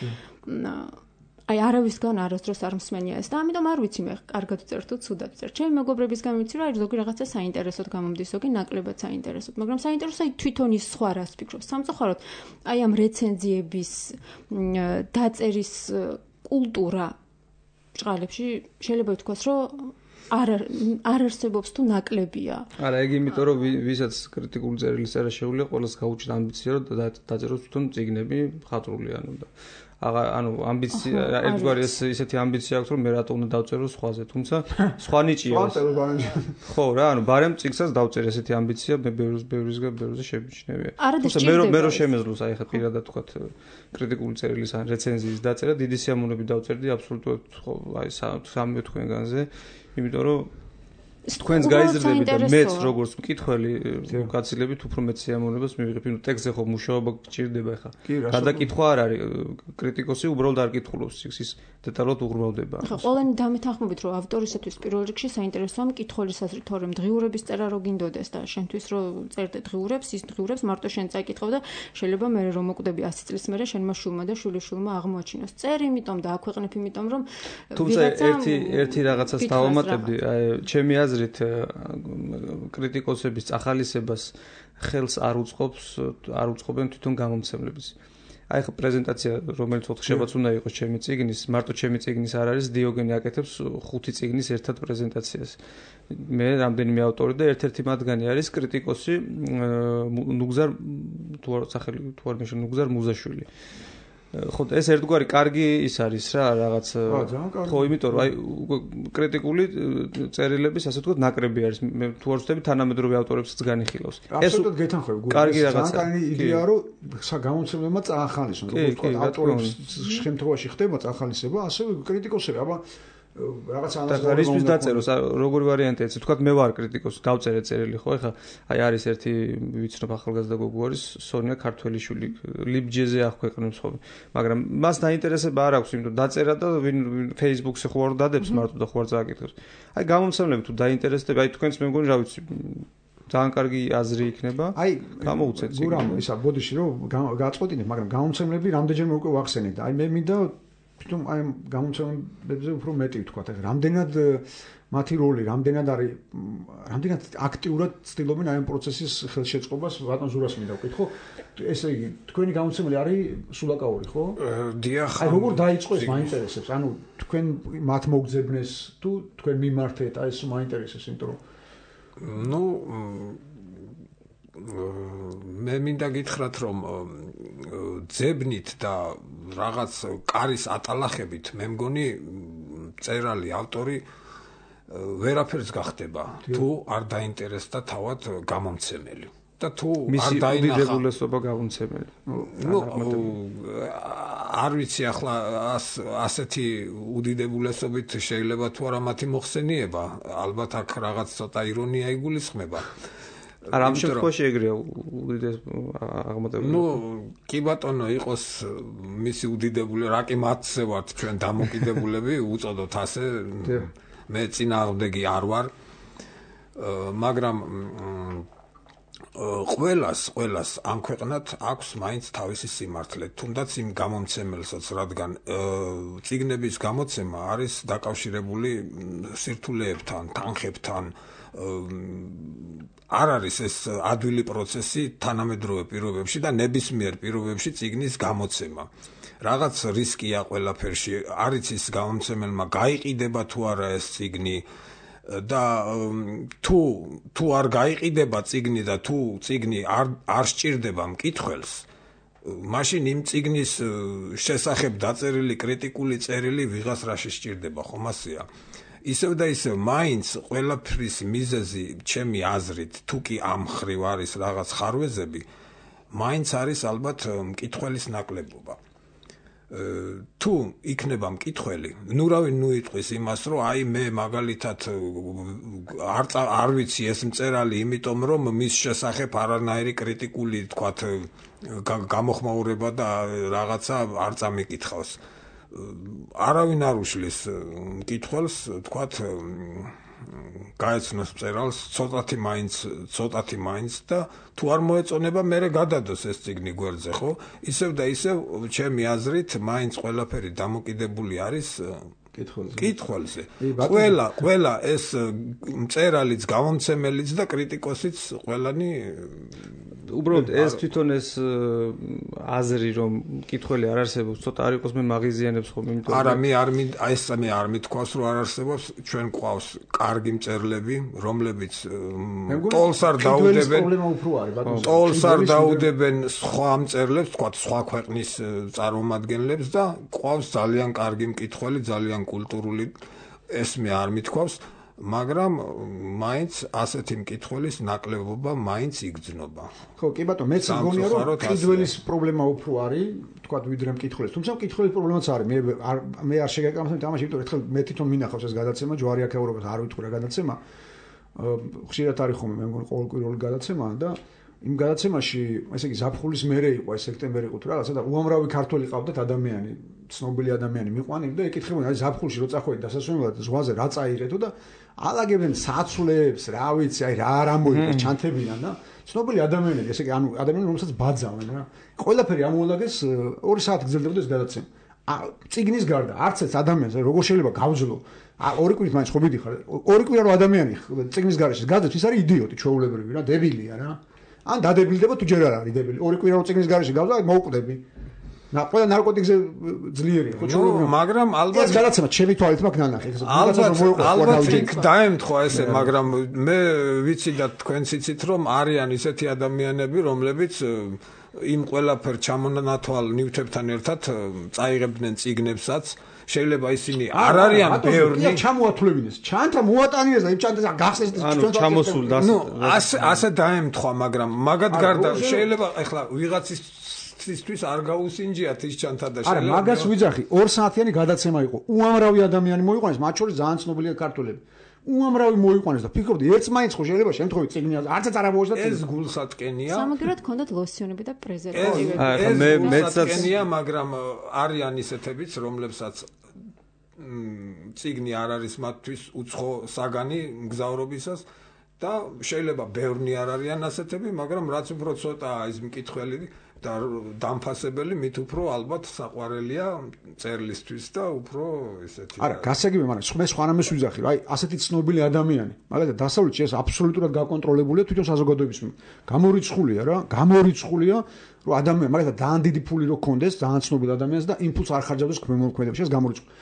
აი არავისგან არასდროს არ მსმენია ეს და ამიტომ არ ვიცი მე კარგად ვწერ თუ ცუდად ვწერ. ჩემი მეგობრებისგან ვიცი რომ აი ზოგი რაღაცა საინტერესოდ გამომდის, ზოგი ნაკლებად საინტერესოდ, მაგრამ საინტერესო აი თვითონ ის სხვა რას ფიქრობს. სამწუხაროდ აი ამ რეცენზიების დაწერის კულტურა ბრჭყალებში შეიძლება ითქვას რომ არ არსებობს თუ ნაკლებია. არა, ეგ იმიტომ რომ ვისაც კრიტიკული წერილი წერა შეუძლია, ყველას გაუჩნდა ამბიცია რომ დაწეროს თვითონ წიგნები მხატვრული და ანუ ამბიცია ერთგვარი ესეთი ამბიცია აქვს რომ მე რატო უნდა დავწერო სხვაზე, თუმცა სხვა ნიჭია ეს. ხო რა, ანუ ბარემ წიგნსაც დავწერე ესეთი ამბიცია მე ბევრზე შემიჩნევია. თუმცა მე რო შემეძლოს აი ხა პირადად თქვათ კრიტიკული წერილის ან რეცენზიის დაწერა დიდი სიამოვნებით დავწერდი აბსოლუტურად ხო აი 3 თქვენგანზე, იმიტომ რომ თქვენს გაიზრდებით და მეც როგორც მკითხველი გაცილებით უფრო მეც სიამოვნებას მივიღებ, იმიტომ ტექსტზე ხო მუშაობა გჭირდება ხა. გადაკითხვა არ არის, კრიტიკოსი უბრალოდ არ კითხულობს ის დეტალურად უღრმავდება. ხო, ყველანი დამეთანხმებით რომ ავტორისათვის პირველ რიგში საინტერესოა მკითხველის აზრი, თორემ დღიურების წერა რო გინდოდეს და შენთვის რო წერდე დღიურებს, ის დღიურებს მარტო შენ წაიკითხავ და შეიძლება მე რომ მოკვდები 100 წლის მერე შენმა შვილმა და შვილიშვილმა აღმოაჩინოს. წერ იმიტომ და აქვეყნებ იმიტომ რომ თუმცა ერთი რაღაცას დავამატებდი, აი ჩემი აზრით კრიტიკოსების წახალისებას ხელს არ უწყობენ თვითონ გამომცემლებს. აი ხა პრეზენტაცია რომელიც ოთხშაბათს უნდა იყოს ჩემი წიგნის, მარტო ჩემი წიგნის არ არის, დიოგენი აკეთებს 5 წიგნის ერთად პრეზენტაციას. მე რამდენიმე ავტორი და ერთ-ერთი მათგანი არის კრიტიკოსი ნუგზარ ნუგზარ მუზაშვილი. ხო, ეს ერთგვარი კარგი ის არის რა, რაღაც ხო, იმიტომ რომ აი კრიტიკული წერილების ასე ვთქვათ ნაკრები არის. მე თუ არ ვცდები თანამედროვე ავტორებსაც განიხილავს. ეს უბრალოდ გეთანხმები, კარგი რაღაცა. ძალიან იდეა რომ გამომცემლებმა წაახალისონ, როგორც ვთქვათ, ავტორების შემთხვევაში ხდება წაახალისება, ასევე კრიტიკოსები, აბა რაღაცა ანალიზის დაწეროს, როგორი ვარიანტია, ვთქვათ, მე ვარ კრიტიკოსი, დავწერე წერილი, ხო, ეხლა აი არის ერთი ვიცნობ ახალგაზრდა გოგო არის, სონია ქართველიშვილი, ლიბჯეზე აქვეყნებს ხოლმე, მაგრამ მას დაინტერესება არ აქვს, იმიტომ დაწერა და ვინ Facebook-ზე ხო არ დადებს მარტო და ხო არ წააკითხებს. აი გამომცემლები თუ დაინტერესდება, აი თქვენს მე მგონი რა ვიცი ძალიან კარგი აზრი იქნება. აი გამოუცეთ. გურამ ისა ბოდიში რომ გააწყვეტინებ, მაგრამ გამომცემლები რამდენჯერმე უკვე ვახსენეთ. აი მე მინდა თუმ აი გამომცემლებზე უფრო მეტი ვთქვათ, აი რამდენად მათი როლი, რამდენად აქტიურად ცდილობენ აი ამ პროცესის ხელშეწყობას, ბატონ ზურას მინდა ვკითხო. ესე იგი, თქვენი გამომცემელი არის სულაკაური, ხო? დიახ. აი როგორ დაიწყო ეს მაინტერესებს? ანუ თქვენ მათ მოგძებნეს თუ თქვენ მიმართეთ, აი ეს მაინტერესებს, იმიტომ რომ ну მე მინდა გითხრათ რომ ძებნით და რაღაც კარის ატალახებით მე მგონი წერალი ავტორი ვერაფერს გახდება თუ არ დაინტერესდა თავად გამომცემელი და თუ არ დაინახა გამომცემელი. ну არ ვიცი ახლა ასეთი უდიდებულესობით შეიძლება თუ არა მათი მოხსენიება, ალბათ აქ რაღაც ცოტა ირონია იგულისხმება. არა ამ შემთხვევაში ეგრეა უდიდეს აღმატებული. კი ბატონო, იყოს მისი უდიდებული, რა კი მათზე ვართ ჩვენ დამოკიდებულები, უწოდოთ ასე. მე წინააღმდეგი არ ვარ. მაგრამ ყველას ამ ქვეყნად აქვს მაინც თავისი სიმართლე, თუნდაც იმ გამომცემელსაც, რადგან წიგნების გამოცემა არის დაკავშირებული სირთულეებთან, თანხებთან. არ არის ეს ადვილი პროცესი თანამედროვე პირობებში და ნებისმიერ პირობებში წიგნის გამოცემა. რაღაც რისკია ყველაფერში, არის ის გამომცემელმა გაიყიდება თუ არა ეს წიგნი და თუ არ გაიყიდება წიგნი და თუ წიგნი არ სჭირდება მკითხველს, მაშინ იმ წიგნის შესახებ დაწერილი კრიტიკული წერილი ვიღას რაში სჭირდება, ხომ ასეა? ისევ და ისევ მაინც ყველაფრის მიზეზი, ჩემი აზრით, თუ კი ამ ხრივ არის რაღაც ხარვეზები, მაინც არის ალბათ მკითხველის ნაკლებობა. თუ იქნება მკითხველი, ნუ იტყვის იმას, რომ აი მე მაგალითად არ ვიცი ეს მწერალი, იმიტომ რომ მის შესახებ არანაირი კრიტიკული, თქვათ, გამოხმაურება და რაღაცა არ წამიკითხავს. არავინ არ უშლის მკითხველს, თქვათ, გაეცნოს მწერალს ცოტათი მაინც და თუ არ მოეწონება, მერე გადადოს ეს წიგნი გვერდზე, ხო? ისევ და ისევ ჩემი აზრით, მაინც ყველაფერი დამოკიდებული არის მკითხველზე. ყველა ეს მწერალიც, გამომცემელიც და კრიტიკოსიც ყველანი უბრალოდ ეს თვითონ ეს აზრი რომ მკითხველი არ არსებობს, ცოტა არ იყოს მე მაგიზიანებს ხომ, იმიტომ არა, მე არ მithქვავს რომ არ არსებობს, ჩვენ გვყავს კარგი მწერლები, რომლებიც ტოლს არ დაუდებენ სხვა მწერლებს, თქვათ სხვა ქვეყნის წარმომადგენლებს და გვყავს ძალიან კარგი მკითხველი, ძალიან კულტურული, ეს მე არ მithქვავს, მაგრამ მაინც ასეთი მკითხველის ნაკლებობა მაინც იგრძნობა. ხო, კი ბატონო, მეც მგონია რომ მკითხველის პრობლემა უფრო არის, თქვა ვიდრე მკითხველის. თუმცა მკითხველის პრობლემაც არის. მე არ შეგეკამათებ თამაში, იმიტომ ერთხელ მე თვითონ მინახავს ეს გადაცემა, ჯვარი აქ ევროპას არ ვიტყვი რა გადაცემა. ხშირად არის ხომ მე მგონი ყოველკვირეული გადაცემა და იმ გადაცემაში, ესე იგი ზაფხულის მერე იყო, ეს სექტემბერი იყო თუ რაღაცა და უამრავი ქართველი ყავდათ ადამიანი, ცნობილი ადამიანი მიყვანილი და ეკითხებოდნენ, აი ზაფხულში რო წახვედი დასასვენებლად ზღვაზე რა წაიღეთო და ალაგებდნენ საცვლებს, რა ვიცი, აი რა არ ამოიღეს, ჩანთებიდან და ცნობილი ადამიანები, ესე იგი ანუ ადამიანები რომელსაც ბაძავენ რა. ყველაფერი ამოალაგეს 2 საათი გრძელდებოდა ეს გადაცემა. წიგნის გარდა არც ერთ ადამიანს როგორ შეიძლება გავძლო 2 კვირით მაინც ხო მიდიხარ 2 კვირა რო ადამიანი წიგნის გარეშე გაძებს, ის არის იდიოტი, ჩვეულებრივი რა, დებილია რა. ან დადებილდება თუ ჯერ არ არის დებილი. 2 კვირა რო წიგნის გარეშე გავდა, მოვკვდები. ყველა ნარკოტიკზე ძლიერია, ხო ჩვეულებრივი. მაგრამ ალბათ ეს გადაცემა ჩემი თვალით მაქვს ნანახი. ალბათ იქ დაემთხვა ესე, მაგრამ მე ვიცი და თქვენც იცით რომ არიან ისეთი ადამიანები, რომლებიც იმ ყველაფერ ჩამონათვალ ნივთებთან ერთად წაიღებდნენ წიგნებსაც. შეიძლება ისინი არ არიან ბევრი ჩამოათვლებინეს, ჩანთა მოატანიეს და იმ ჩანთას გახსნეს ჩვენ ჩამოსულ და ასე დაემთხვა, მაგრამ მაგათ გარდა შეიძლება ეხლა ვიღაცისთვის არ გაუსინჯიათ ის ჩანთა და შეიძლება არა, მაგას ვიძახი, 2 საათიანი გადაცემა იყო. უამრავი ადამიანი მოიყვანეს, მათ შორის ძალიან ცნობილია ქართველები. უამრავი მოიყვანეს და ფიქრობდი, ერთს მაინც ხო შეიძლება შემთხვევით წიგნი არცაც არ ამოვაშდა წიგნი. ეს გულსატკენია. სამაგერად ჰქონდათ ლოსიონები და პრეზერვატივები. მეცსატკენია, მაგრამ არიან ისეთებიც, რომლებსაც წიგნი არ არის მათთვის უცხო საგანი მგზავრობისას და შეიძლება ბევრნი არ არიან ასეთები, მაგრამ რაც უფრო ცოტაა ის მკითხველი და დამფასებელი, მით უფრო ალბათ საყვარელია წერლისთვის და უფრო ესეთი. არა, გასაგებია, მაგრამ მე სხვანაირად ვიძახი, რომ აი ასეთი ცნობილი ადამიანი, მაგალითად დასავლეთში ეს აბსოლუტურად გაკონტროლებულია თვითონ საზოგადოების მიერ. გამორიცხულია, რომ ადამიანი, მაგალითად ძალიან დიდი ფული რო ქონდეს, ძალიან ცნობილ ადამიანს და იმ ფულს არ ხარჯავდეს ქვემოქმედებში, ეს გამორიცხული.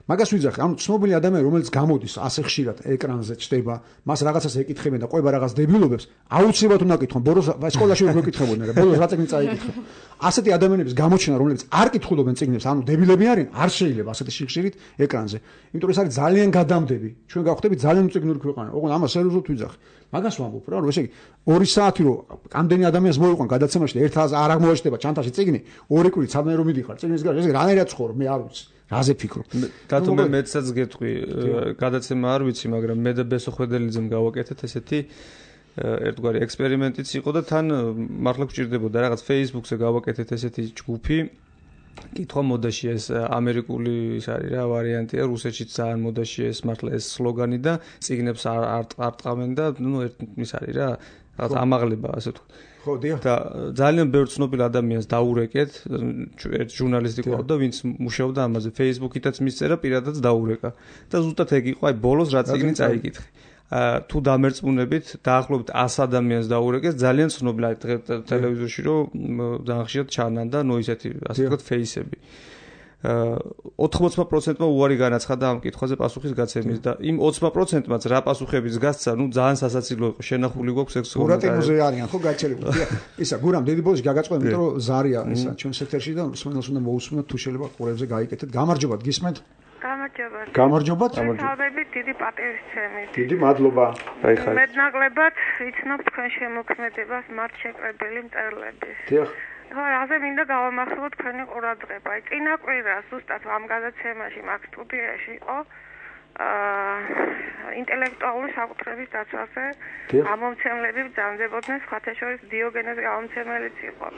მაგას ვიძახი, ანუ ცნობილი ადამიანი, რომელიც გამოდის ასე ხშირად ეკრანზე ჩდება, მას რაღაცას ეკითხებენ და ყובה რაღაც დებილობებს, აუცილებლად უნდა კითხონ, ბოროს სკოლაში ვერ მეკითხებოდნენ, ბოროს რა წიგნი წაიკითხო. ასეთი ადამიანების გამოჩენა, რომლებიც არ კითხულობენ წიგნებს, ანუ დებილები არიან, არ შეიძლება ასეთი შიხშირით ეკრანზე. იმიტომ რომ ეს არის ძალიან გადამდები. ჩვენ გავხდებით ძალიან უწიგნური ქვეყანა. ოღონდ ამას სერიოზულად ვიძახი. მაგას ვამბობ რა, რომ ესე იგი 2 საათი რო ამდენი ადამიანს მოიყვან გადაცემაში და ერთ არ აღმოაჩნდება ჩანთაში წიგნი, 2 კვირით სადმე რომ მიდიხარ წიგნის გარშე, ესე რანაირად ცხოვრობ, მე არ ვიცი. რაზე ფიქრობ? დათო მე მეცაც გეტყვი, გადაცემა არ ვიცი, მაგრამ მე და ბესო ხვედელიძემ გავაკეთეთ ესეთი ერთგვარი ექსპერიმენტიც იყო და თან მართლა გვჭირდებოდა რაღაც Facebook-ზე გავაკეთეთ ესეთი ჯგუფი. კითხვა მოდაში ეს ამერიკული ის არის რა ვარიანტია, რუსეთშიც ძალიან მოდაში ეს მართლა ეს სლოგანი და წიგნებს არ ტყავენ და ნუ ის არის რა, რაღაც ამაღლება ასე ვთქვათ. ხო, დიახ. და ძალიან ბევრ ცნობილ ადამიანს დაურეკეთ, ერთ ჟურნალისტი ყავდა, ვინც მუშაობდა ამაზე, Facebook-ითაც მისწერა, პირადად დაურეკა. და ზუსტად ეგ იყო, აი ბოლოს რა წიგნი წაიკითხე. თუ დამერწმუნებით, დაახლოებით 100 ადამიანს დაურეკეს, ძალიან ცნობილი ტელევიზორში რომ ძალიან ხშირად ჩანან და ნუ ისეთი, ასე ვთქვათ, ფეისები. 80%-მა უარი განაცხადა ამ კითხვაზე პასუხის გაცემის და იმ 20%-მაც რა პასუხების გასცა, ნუ ძალიან სასაცილო იყო, შენახული გვაქვს ეს გურატინოზე არიან, ხო, გაჩერებული. ისა, გურამ დიდი ბოლოს გაგაწყობთ, იმიტომ რომ ზარია ისა ჩვენს ეთერში და სმენელს უნდა მოусმინოთ თუ შეიძლება ყურებზე გაიკეთეთ. გამარჯობათ, გისმენთ? გამარჯობათ. თავები დიდი პატივისცემით. დიდი მადლობა. დაიხარეთ. მეტნაკლებად იცნობ თქვენ შემოქმედებას მართ შეკრებილი მწერლების. დიახ. ხო, ასე მინდა გავამახვილოთ თქვენი ყურადღება. წინა კვირა ზუსტად ამ გადაცემაში მაგ სტუდიაში იყო ინტელექტუალური საკუთრების დაცვაზე გამომცემლები ბრძანდებოდნენ, სხვათა შორის დიოგენეს გამომცემელიც იყო.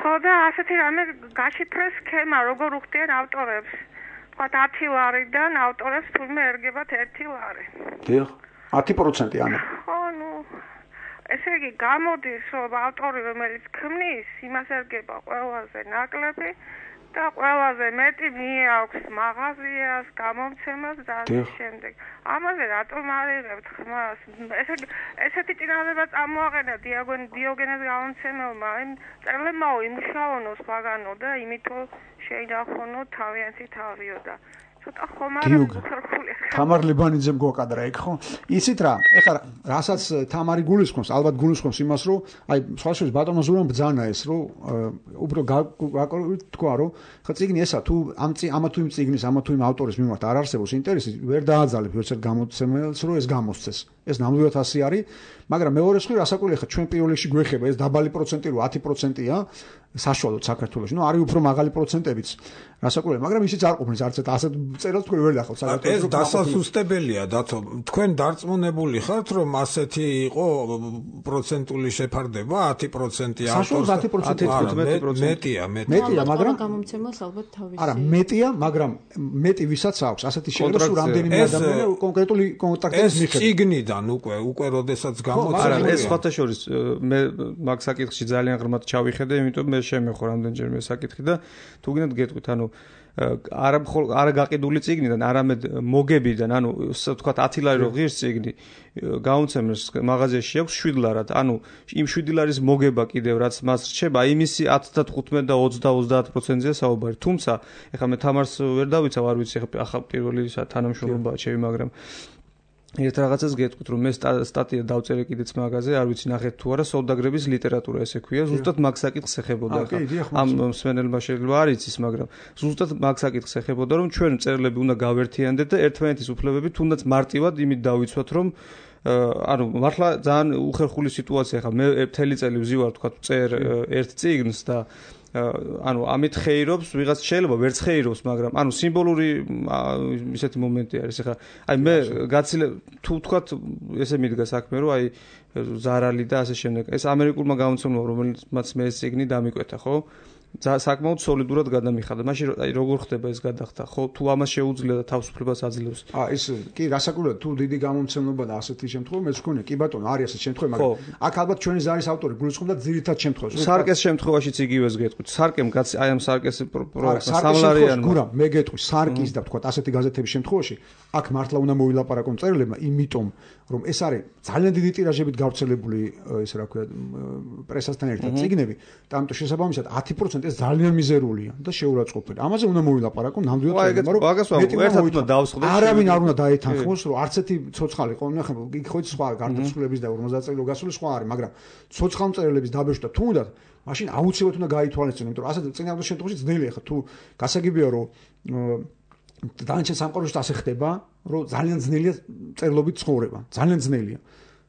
ხო და ასეთი რამე გაშიფრეს სქემა, როგორ უხდიან ავტორებს. თქვა 10 ლარიდან ავტორებს თურმე ერგებათ 1 ლარი. დიახ, 10% ანუ. ხო, ნუ ესე იგი გამოდის, რომ ავტორი რომელიც ქმნის, იმას ერგება ყველაზე ნაკლები და ყველაზე მეტი მიაქვს მაღაზიას, გამომცემას და ამ შემდეგ. ამაზე რატომ არიღებთ ხმას? ესეთი წინადადება წამოაყენა დიოგენეს გამომცემელმა, იმ წერლებმა იმუშაონო სხვაგანო და იმითო შეინახონო თავიანთი თავიო და ცოტა ხომ არა უხერხული. თამარ ლებანიძემ გვაკადრა ეგ ხო? იცით რა? ეხლა რასაც თამარი გულისხმობს, ალბათ გულისხმობს იმას, რომ აი სხვა შორის ბატონო ზურამ ბძანა ეს, რომ უფრო თქვა, რომ ხა წიგნი ესა თუ ამა თუ იმ წიგნის, ამა თუ იმ ავტორის მიმართ არ არსებობს ინტერესი, ვერ დააძალებ ერთ გამოცემელს, რომ ეს გამოსცეს. ეს ნამდვილად ასე არის, მაგრამ მეორე მხრივ რასაკვირველია, ხა ჩვენ პირველ რიგში გვეხება ეს დაბალი პროცენტი, რომ 10%-ია საშუალოდ საქართველოში. ნუ არის უფრო მაღალი პროცენტებიც. რასაკვირველია, მაგრამ ისიც არ ყოფნის არც ასეთ წერილს თქვენ ვერ დახავთ საქართველოში. ეს დასასუსტებელია, დათო. თქვენ დარწმუნებული ხართ, რომ ასეთი იყო პროცენტული შეფარდება 10% ავტორს? 10%. მეტია, მაგრამ გამომცემელს ალბათ თავისი. არა, მეტია, მაგრამ მეტი ვისაც აქვს ასეთი შეერება, რომ რამდენიმე ადამიანი კონკრეტული კონტაქტების მიხედვით. ეს წიგნიდან უკვე როდესაც გამოცხადდა. არა, ეს სხვათა შორის მე მაგ საკითხში ძალიან ღრმად ჩავიხედე, იმიტომ მე შემეხო რამდენჯერმე საკითხი და თუ გინდათ გეტყვით, ანუ არა გაყიდული წიგნიდან, არამედ მოგებიდან, ანუ ვთქვათ 10 ლარი რო ღირს წიგნი, გამომცემელს მაღაზიაში აქვს 7 ლარად, ანუ იმ 7 ლარის მოგება კიდევ რაც მას რჩება, იმისი 10 და 15 და 20-30%-ია საუბარი. თუმცა, ეხლა მე თამარს ვერ დავიცავ, არ ვიცი ახლა პირველი თანამშრომლობაა ჩემი, მაგრამ ერთ რაღაცას გეტყვით, რომ მე სტატია დავწერე კიდეც მაგაზე, არ ვიცი ნახეთ თუ არა, სოლდაგრების ლიტერატურა ესე ქვია, ზუსტად მაგ საკითხს ეხებოდა ხა. ამ მსმენელმა შეიძლება არ იცის, მაგრამ ზუსტად მაგ საკითხს ეხებოდა, რომ ჩვენ მწერლები უნდა გავერთიანდეთ და ერთმანეთის უფლებები თუნდაც მარტივად იმით დავიცვათ, რომ ანუ მართლა ძალიან უხერხული სიტუაცია ხა. მე მთელი წელი ვზივარ, თქვა, წერ ერთ წიგნს და ანუ ამით ხეირობს, ვიღაც შეიძლება ვერც ხეირობს, მაგრამ ანუ სიმბოლური ისეთი მომენტი არის. ეხლა აი მე გაცილე თუ ვთქვათ ესე მიდგა საქმე, რომ აი ზარალი და ასე შემდეგ. ეს ამერიკულმა გამომცემლობამ, რომელმაც მე ეს წიგნი დამიკვეთა, ხო? საკმაოდ სოლიდურად გადამიხადა. მაშინ აი როგორ ხდება ეს გადახდა? ხო, თუ ამას შეუძლია და თავისუფლებას აძლევს. ეს კი რასაკვირველია, თუ დიდი გამომცემლობა და ასეთი შემთხვევა მეც ვქონია. კი ბატონო, არის ასეთი შემთხვევა, მაგრამ აქ ალბათ ჩვენი ზარის ავტორი გულისხმობდა ძირითად შემთხვევას. სარკეს შემთხვევაშიც იგივეს გეტყვით. სარკემ აი ამ სარკეს პროექტს სამლარიან. გურამ, მე გეტყვი, სარკის და ვთქვათ ასეთი გაზეთების შემთხვევაში, აქ მართლა უნდა მოვილაპარაკონ მწერლებმა, იმიტომ რომ ეს არის ძალიან დიდი ტირაჟებით გავრცელებული, ესე რა ქვია, პრესასთან ერთად წიგნები და ამიტომ შესაბამისად 10% ეს ძალიან მიზერულია და შეურაცხყოფელი. ამაზე უნდა მოვილაპარაკონ ნამდვილად, მაგრამ არავინ არ უნდა დაეთანხმოს, რომ არც ერთი ცოცხალი ყოლნა ხა იქ ხო სხვა გარდაცვლილების და 50 წელი გასული სხვა არის, მაგრამ ცოცხალ მწერლების დაბეჭდა თუნდაც მაშინ აუცილებლად უნდა გაითვალისწინო, იმიტომ რომ ასეთ წინააღმდეგ შემთხვევაში ძნელია ხა თუ გასაგებია რომ დანარჩენ სამყაროში ასე ხდება, რომ ძალიან ძნელია წერლობით ცხოვრება, ძალიან ძნელია.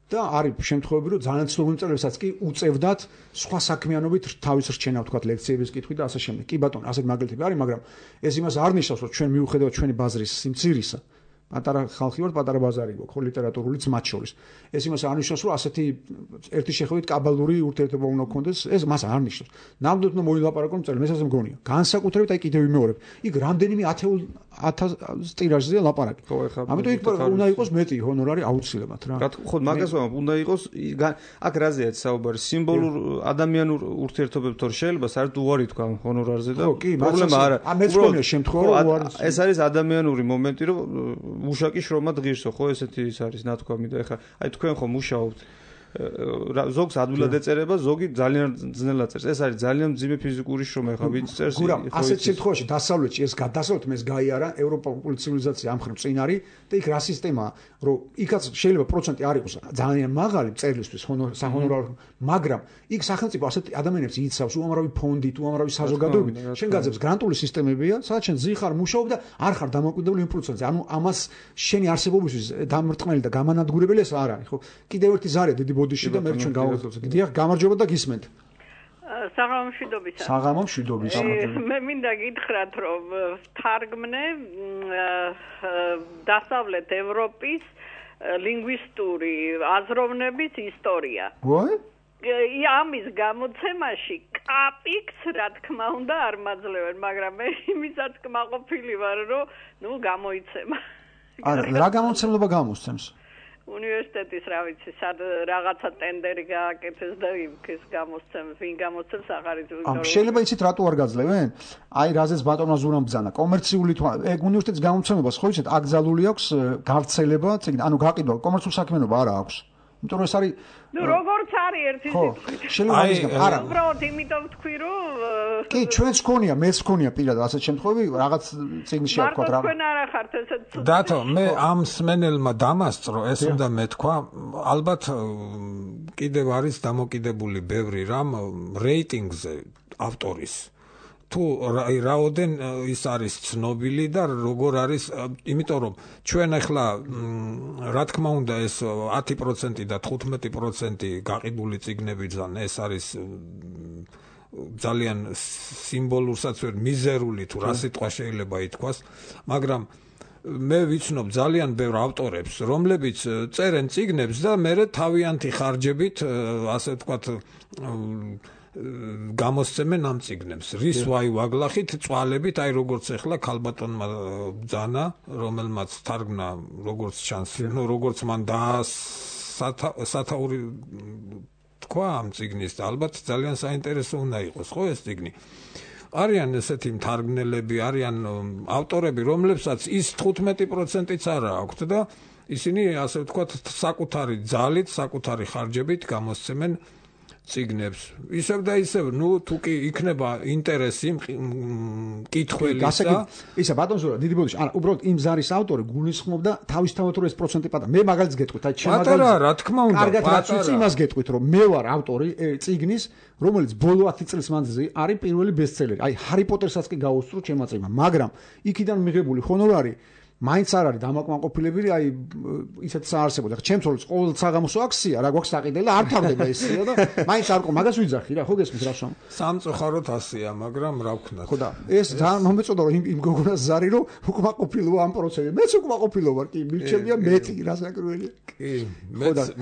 და არის შემთხვევები, რომ ძალიან ცნობილი მწერლებსაც კი უწევდათ სხვა საქმიანობით თავის რჩენა, ვთქვათ, ლექციების კითხვი და ასე შემდეგ. კი ბატონო, ასეთ მაგალითები არის, მაგრამ ეს იმას არ ნიშნავს, რომ ჩვენ მიუხედავად ჩვენი ბაზრის სიმცირისა პატარა ხალხი ვართ, პატარა ბაზარი გვაქვს, ხო, ლიტერატურულიც მათ შორის. ეს იმას არნიშნავს, რომ ასეთი ერთი შეხედვით კაბალური ურთიერთობა უნდა გქონდეს, ეს მას არნიშნავს. ნამდვილად უნდა მოილაპარაკონ წელი, მე ასე მგონია. განსაკუთრებით აი კიდევ ვიმეორებ. იქ რამდენიმე 1000 ტირაჟზეა ლაპარაკი. ამიტომ იქ უნდა იყოს მეტი ჰონორარი აუცილებლად რა. ხო, მაგას ვამბობ, უნდა იყოს აქ რაზეა საუბარი, სიმბოლურ ადამიანურ ურთიერთობებს თორ შეიძლება საერთოდ უარი თქვა ჰონორარზე და პრობლემა არა. მეც მგონია შემთხვევა უარი. ეს არის ადამიანური მომენტი, რომ მუშაკი შრომა ღირსო, ხო, ესეთი ის არის ნათქვამი და ეხლა აი თქვენ ხო მუშაობთ ზოგს ადვილად ეწერება, ზოგი ძალიან ძნელად წერს. ეს არის ძალიან მძიმე ფიზიკური შრომა, ეხლა ვინც წერს. გურა, ასეთ შემთხვევაში დასავლეთში ეს დასავლეთ მეს გაიარა ევროპული ცივილიზაცია ამ ხრივ წინ არის და იქ რა სისტემაა, რომ იქაც შეიძლება პროცენტი არ იყოს ძალიან მაღალი წერილისთვის საჰონორარო, მაგრამ იქ სახელმწიფო ასეთ ადამიანებს იცავს უამრავი ფონდით, უამრავი საზოგადოებით. შენ გაძებს გრანტული სისტემებია, სადაც შენ ზიხარ მუშაობ და არ ხარ დამოუკიდებელი იმ პროცენტზე. ანუ ამას შენი არსებობისთვის დამრტყმელი და გამანადგურებელი ეს არ არის, ხო? კიდევ ერთი ზარია დიდი ბოდიში და მე ჩვენ გავაგზავნოთ. დიახ, გამარჯობა და გისმენთ. საღამომშვიდობისა. საღამომშვიდობისა. მე მინდა გითხრათ, რომ თარგმნე დასავლეთ ევროპის ლინგვისტური აზროვნების ისტორია. ამის გამოცემაში კაპიქს რა თქმა უნდა არ მაძლევენ, მაგრამ მე იმისაც კმაყოფილი ვარ, რომ გამოიცემა. რა გამოცემლობა გამოსცემს? უნივერსიტეტის რა ვიცი, სად რაღაცა ტენდერი გააკეთეს და ის გამოსცემს, ვინ გამოსცემს აღარ იცი. შეიძლება იცით რატო არ გაძლევენ? აი რაზეც ბატონმა ზურამ ბძანა, კომერციული ეგ უნივერსიტეტის გამოცემებას ხო იცით, აკრძალული აქვს გავრცელება, ანუ გაყიდვა, კომერციულ საქმიანობა არა აქვს. იმიტომ რომ ეს არის როგორც არის ერთი სიტყვით. არა. უბრალოდ იმიტომ ვთქვი, რომ კი, ჩვენც გქონია, მეც გქონია პირადად ასეთ შემთხვევები, რაღაც წიგნში არ ვქოთ რა. თქვენ არ ახართ ესეთ ცუდ. დათო, მე ამ სმენელმა დამასწრო, ეს უნდა მეთქვა, ალბათ კიდევ არის დამოკიდებული ბევრი რამ რეიტინგზე ავტორის. თუ რაოდენ ის არის ცნობილი და როგორ არის, იმიტომ რომ ჩვენ ახლა რა თქმა უნდა ეს 10% და 15% გაყიდული წიგნები ძან ეს არის ძალიან სიმბოლურსაც ვერ მიზერული თუ რა სიტყვა შეიძლება ითქვას, მაგრამ მე ვიცნობ ძალიან ბევრ ავტორებს, რომლებიც წერენ წიგნებს და მე თავიანთი ხარჯებით, ასე ვთქვათ, გამოსცემენ ამ წიგნებს. რის ვაი ვაგლახით, წვალებით, აი როგორც ახლა ქალბატონმა ბძანა, რომელმაც თარგმნა როგორც ჩანს, როგორც მან სათაური თქვა ამ წიგნის და ალბათ ძალიან საინტერესო უნდა იყოს, ხო ეს წიგნი. არიან ესეთი მთარგმნელები, არიან ავტორები, რომლებსაც ის 15%-იც არა აქვთ და ისინი ასე ვთქვათ საკუთარი ძალით, საკუთარი ხარჯებით გამოსცემენ წიგნებს. ისევ და ისევ, თუ კი იქნება ინტერესი მკითხველისა. ისა ბატონ ზურა, დიდი ბოდიში, არა, უბრალოდ იმ ზარის ავტორი გულისხმობდა თავისთავად რომ ეს პროცენტი პატარა. მე მაგალითს გეტყვით, აი ჩემ მაგალითს. პატარა, რა თქმა უნდა, კარგად რაც ვიცი, იმას გეტყვით, რომ მე ვარ ავტორი წიგნის, რომელიც ბოლო 10 წლის მანძილზე არის პირველი ბესტსელერი. აი ჰარი პოტერსაც კი გაუსწრო ჩემმა წიგნმა, მაგრამ იქიდან მიღებული ჰონორარი მაინც არ არის დამაკმაყოფილებელი, აი ისეთ საარსებოდა. ჩემს როლს ყოველ საღამოსო აქცია, რა გვაქვს საყიდელი და არ თავდება ესია და მაინც არ ყო, მაგას ვიძახი რა, ხო გესმის რა შომ. სამწუხაროდ ასეა, მაგრამ რა ვქნათ. ხო და ეს ძალიან მომეწონა რომ იმ გოგონას ზარი რომ უკმაყოფილოა ამ პროცესში. მეც უკმაყოფილო ვარ, კი, მირჩევია მეტი, რა საკრუელია. კი,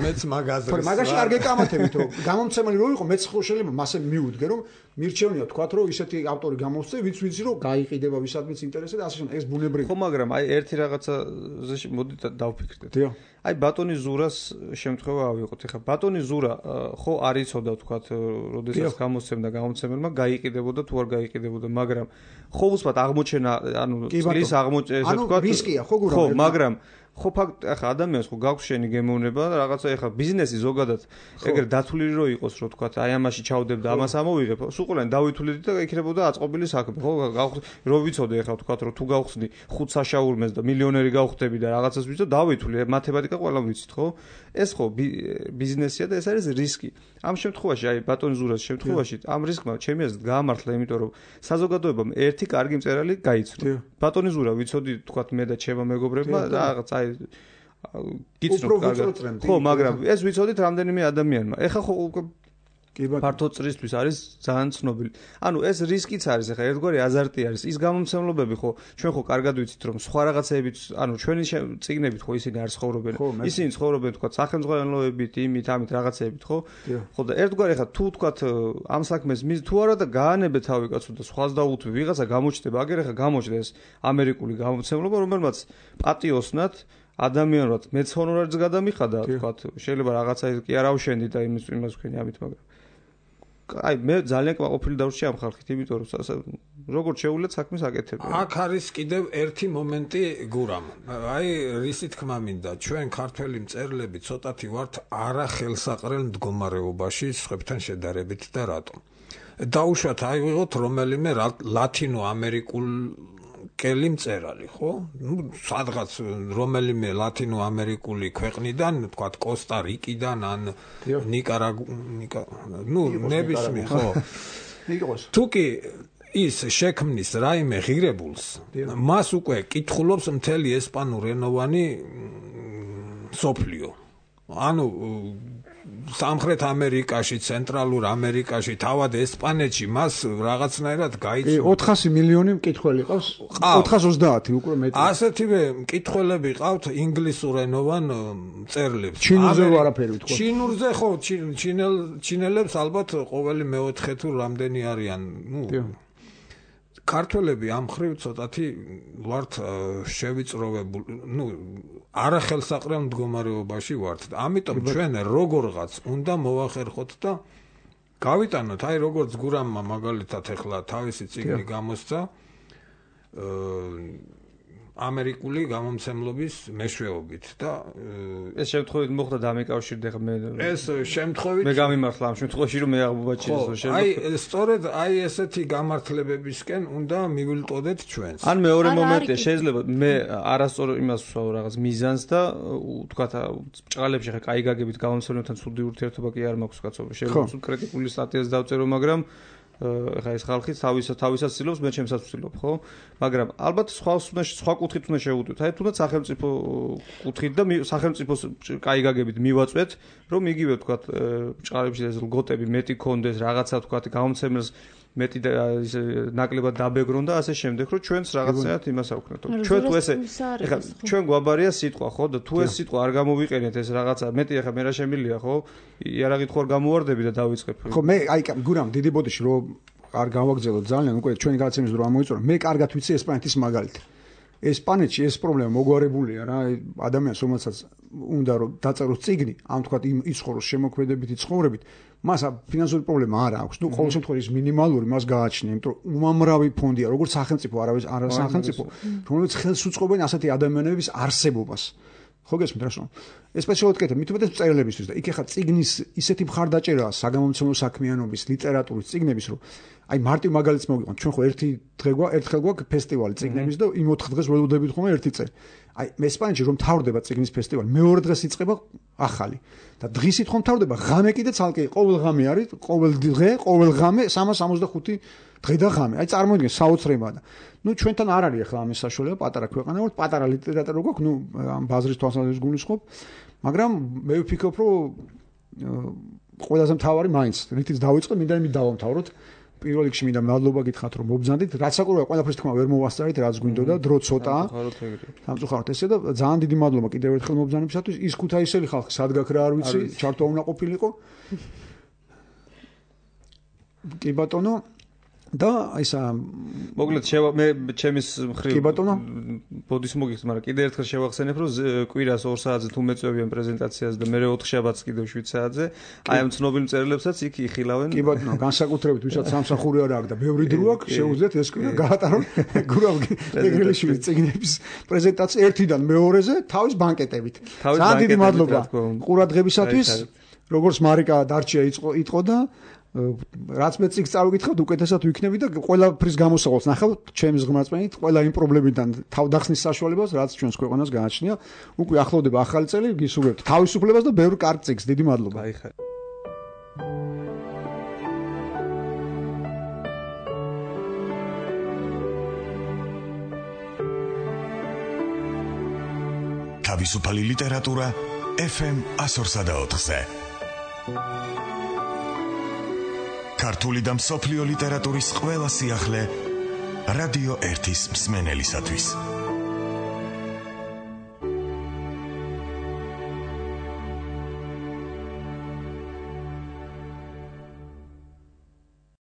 მეც მაგაზე. მაგაში არ გეკამათებით რომ გამომცემელი რო იყო, მეც ხო შეიძლება მასე მივუდგე რომ მირჩევნია თქვათ რომ ისეთი ავტორი გამოსცე, ვიც ვიცი რომ გაიყიდება ვისადმის ინტერესი და ასე შემდეგ. ეს ბუნებრივია. ხო, მაგრამ აი ერთი რაღაცაზე მოდით დავფიქრდეთ. აი ბატონი ზურას შემთხვევა ავიღოთ. ეხლა ბატონი ზურა ხო არ იცოდა თქვათ, როდესაც გამოსცემდა გამომცემელმა გაიყიდებოდა თუ არ გაიყიდებოდა, მაგრამ ხო უცბად აღმოჩენა, ანუ წლის აღმოჩენა, ესე თქვათ. ანუ რისკია ხო გურა. ხო, მაგრამ ხო ფაქტ ახლა ადამიანს ხო გაქვს შენი გემოვნება და რაღაცა ახლა ბიზნესი ზოგადად ეგრე დათვლილი რო იყოს რო თქვა აი ამაში ჩავდებ და ამას ამოვიღებ სულ ყველანი დავითვლით და იქნებოდა აწყობილი საქმე ხო რო ვიცოდე ახლა თქვა რომ თუ გავხსნი 5 საშაურმეს და მილიონერი გავხდები და რაღაცას ვიცო დავითვლი მათემატიკა ყველა ვიცით ხო ეს ხო ბიზნესია და ეს არის რისკი ამ შემთხვევაში აი ბატონ ზურას შემთხვევაში ამ რისკმა ჩემი აზრით გაამართლა იმიტომ რომ საზოგადოებამ ერთი კარგი მწერალი გაიცნო ბატონი ზურა ვიცოდი თქვა მე და ჩემო მეგობრებმა რაღაც აი გიცნობ კარგად ხო მაგრამ ეს ვიცოდით რამდენიმე ადამიანმა ეხა ხო ფართო წრისთვის არის ძალიან ცნობილი. ანუ ეს რისკიც არის, ახლა ერთგვარი აზარტი არის. ის გამომცემლობები ხო, ჩვენ ხო კარგად ვიცით, რომ სხვა რაღაცეებით, ანუ ჩვენი წიგნებით ხო ისინი არ ცხოვრობენ. ისინი ცხოვრობენ თქვა სახელმწიფოებით, იმით, ამით რაღაცეებით, ხო? ხო და ერთგვარი ახლა თუ თქვა ამ საქმეს თუ არა და გაანებე თავი კაცო და სხვას დაუთვი, ვიღაცა გამოჩნდება, აგერ ახლა გამოჩნდა ეს ამერიკული გამომცემლობა, რომელმაც პატიოსნად ადამიანურად მეც ჰონორარიც გადამიხადა, თქვა შეიძლება რაღაცა კი არ ავშენდი და იმას ვქენი ამით, მაგრამ აი მე ძალიან კმაყოფილი დავრჩი ამ ხალხით, იმიტომ რომ როგორც შეუძლია საქმეს აკეთებენ. აქ არის კიდევ ერთი მომენტი გურამ. აი რისი თქმა მინდა, ჩვენ ქართველი მწერლები ცოტათი ვართ არახელსაყრელ მდგომარეობაში სხვებთან შედარებით და რატომ? დაუშვათ აი ვიღოთ რომელიმე ლათინო ამერიკულ კელი მწერალი, ხო? ნუ სადღაც რომელიმე ლათინო ამერიკული ქვეყნიდან, თქვათ კოსტა-რიკიდან ან ნუ ნებისმიერ, ხო? იყოს. თუკი ის შექმნის რაიმე ღირებულს, მას უკვე კითხულობს მთელი ესპანურენოვანი სოფლიო. ანუ სამხრეთ ამერიკაში, ცენტრალურ ამერიკაში, თავად ესპანეთში მას რაღაცნაირად გაიცნო. 400 მილიონი მკითხველი ყავს. 430 უკვე მეტი. ასეთივე მკითხველები ყავთ ინგლისურენოვან მწერლებს. ჩინურზე არაფერი ვთქვა. ჩინურზე ხო, ჩინელებს ალბათ ყოველი მეოთხე თუ რამდენი არიან, ნუ ქართველები ამ ხრივ ცოტათი ვართ შევიწროვებული, ნუ არახელსაყრელ მდგომარეობაში ვართ. ამიტომ ჩვენ როგორღაც უნდა მოვახერხოთ და გავიტანოთ, აი როგორც გურამმა მაგალითად ახლა თავისი წიგნი გამოსცა ამერიკული გამომცემლობის მეშვეობით და ეს შემთხვევით მოხდა დამეკავშირდა ხა მე ეს შემთხვევით მე გამიმართლა ამ შემთხვევაში რომ მე აღბობაჭიროს აი სწორედ აი ესეთი გამართლებებისკენ უნდა მივილტოდეთ ჩვენს ან მეორე მომენტია შეიძლება მე არასწორ იმას ვსვავ რაღაც მიზანს და თქვა ჭყალებში ხა კაი გაგებით გამომცემლებთან ცუდი ურთიერთობა კი არ მაქვს კაცო შეიძლება სულ კრიტიკული სტატიას დავწერო მაგრამ ხა ეს ხალხი თავისას ცდილობს მე ჩემსაც ვცდილობ ხო მაგრამ ალბათ სხვა კუთხით უნდა შევუდოთ აი თუნდაც სახელმწიფო კუთხით და სახელმწიფოს კაი გაგებით მივაწვეთ რომ იგივე თქვა ჭყალებში ეს ლგოტები მეტი კონდეს რაღაცა თქვა გამომცემელს მეტი ნაკლებად დაბეგრონ და ასე შემდეგ რომ ჩვენს რაღაცაათ იმას აქვთ ჩვენ თუ ესე ეხლა ჩვენ გვაბარია სიტყვა ხო და თუ ეს სიტყვა არ გამოვიყენეთ ეს რაღაცა მეტი ეხლა მე რა შემილია ხო იარაღით ხო არ გამოვარდები და დავიწყებ ხო მე აი გურამ დიდი ბოდიში რომ არ გავაგზავნოთ ძალიან უკვე ჩვენი გადაცემის დრო ამოიწურა მე კარგად ვიცი ესპანეთის მაგალითი ესპანეთში ეს პრობლემა მოგვარებულია რა ადამიანს რომელსაც უნდა რომ დაწეროს წიგნი ამ თქვა ის ხოროს შემოქმედებითი ცხოვრებით მას ფინანსური პრობლემა არ აქვს ნუ ყოველ შემთხვევაში მინიმალური მას გააჩნია იმიტომ რომ უამრავი ფონდია როგორც სახელმწიფო არა სახელმწიფო რომელიც ხელს უწყობენ ასეთი ადამიანების არსებობას ხო გესმით რა შენ ესპეციალურად კეთებ მით უმეტეს მწერლებისთვის და იქ ახლა წიგნის ისეთი მხარდაჭერაა საგამომცემლო საქმიანობის ლიტერატურის წიგნების რომ აი მარტივ მაგალითს მოვიყვანთ ჩვენ ხო ერთხელ გვაქვს ფესტივალი წიგნების და იმ 4 დღეს ველოდებით ხომ ერთი წელი აი ესპანეთში რომ თავდება წიგნის ფესტივალი მეორე დღეს იწყება ახალი და დღისით ხომ თავდება ღამე კიდე ცალკე ყოველ ღამე არის ყოველ დღე ყოველ ღამე 365 დღე და ღამე აი წარმოიდგინე საოცრებაა და ნუ ჩვენთან არ არის ახლა ამის საშუალება პატარა ქვეყანა ვართ პატარა ლიტერატურა გვაქვს ნუ ამ ბაზრის თვალსაზრისით გულისხმობ მაგრამ მე ვფიქრობ რომ ყველაზე მთავარი მაინც რითიც დავიწყე მინდა იმით დავამთავროთ პირველ რიგში მინდა მადლობა გითხრათ რომ მობრძანდით რაც საკურვია ყველაფრის თქმა ვერ მოვასწარით რაც გვინდოდა დრო ცოტაა სამწუხაროდ ესე და ძალიან დიდი მადლობა კიდევ ერთხელ მობრძანებისათვის ის ქუთაისელი ხალხი სადგაქ რა არ ვიცი ჩართვა უნდა ყოფილიყო კი ბატონო და ისა მოკლედ მე ჩემის მხრივ ბოდის მოგიხსნით მაგრამ კიდე ერთხელ შევახსენებ რომ კვირას 2 საათზე თუ მეწვევიან პრეზენტაციას და მე 4 შაბათს კიდევ 7 საათზე აი ამ ცნობილ მწერლებსაც იქ იხილავენ კი ბატონო განსაკუთრებით ვისაც სამსახური არ აქვს და ბევრი დრო აქვს შეუძლიათ ეს კვირა გაატარონ გურავ ეგრელიშვილის წიგნების პრეზენტაცია ერთიდან მეორეზე თავის ბანკეტებით ძალიან დიდი მადლობა ყურადღებისათვის როგორც მარიკა დარჩია იტყო და რაც მე წიგს წავიკითხავთ უკეთესად ვიქნები და ყველაფრის გამოსავალს ნახავთ ჩემს ღმერთმენით ყველა იმ პრობლემიდან თავდახსნის საშუალებას რაც ჩვენს ქვეყანას გააჩნია უკვე ახლოვდება ახალი წელი გისურვებთ თავისუფლებას და ბევრ კარგ წიგს დიდი მადლობა აიხარ თავისუფალი ლიტერატურა FM 104.4-ზე ქართული და მსოფლიო ლიტერატურის ყველა სიახლე რადიო 1-ის მსმენელისათვის.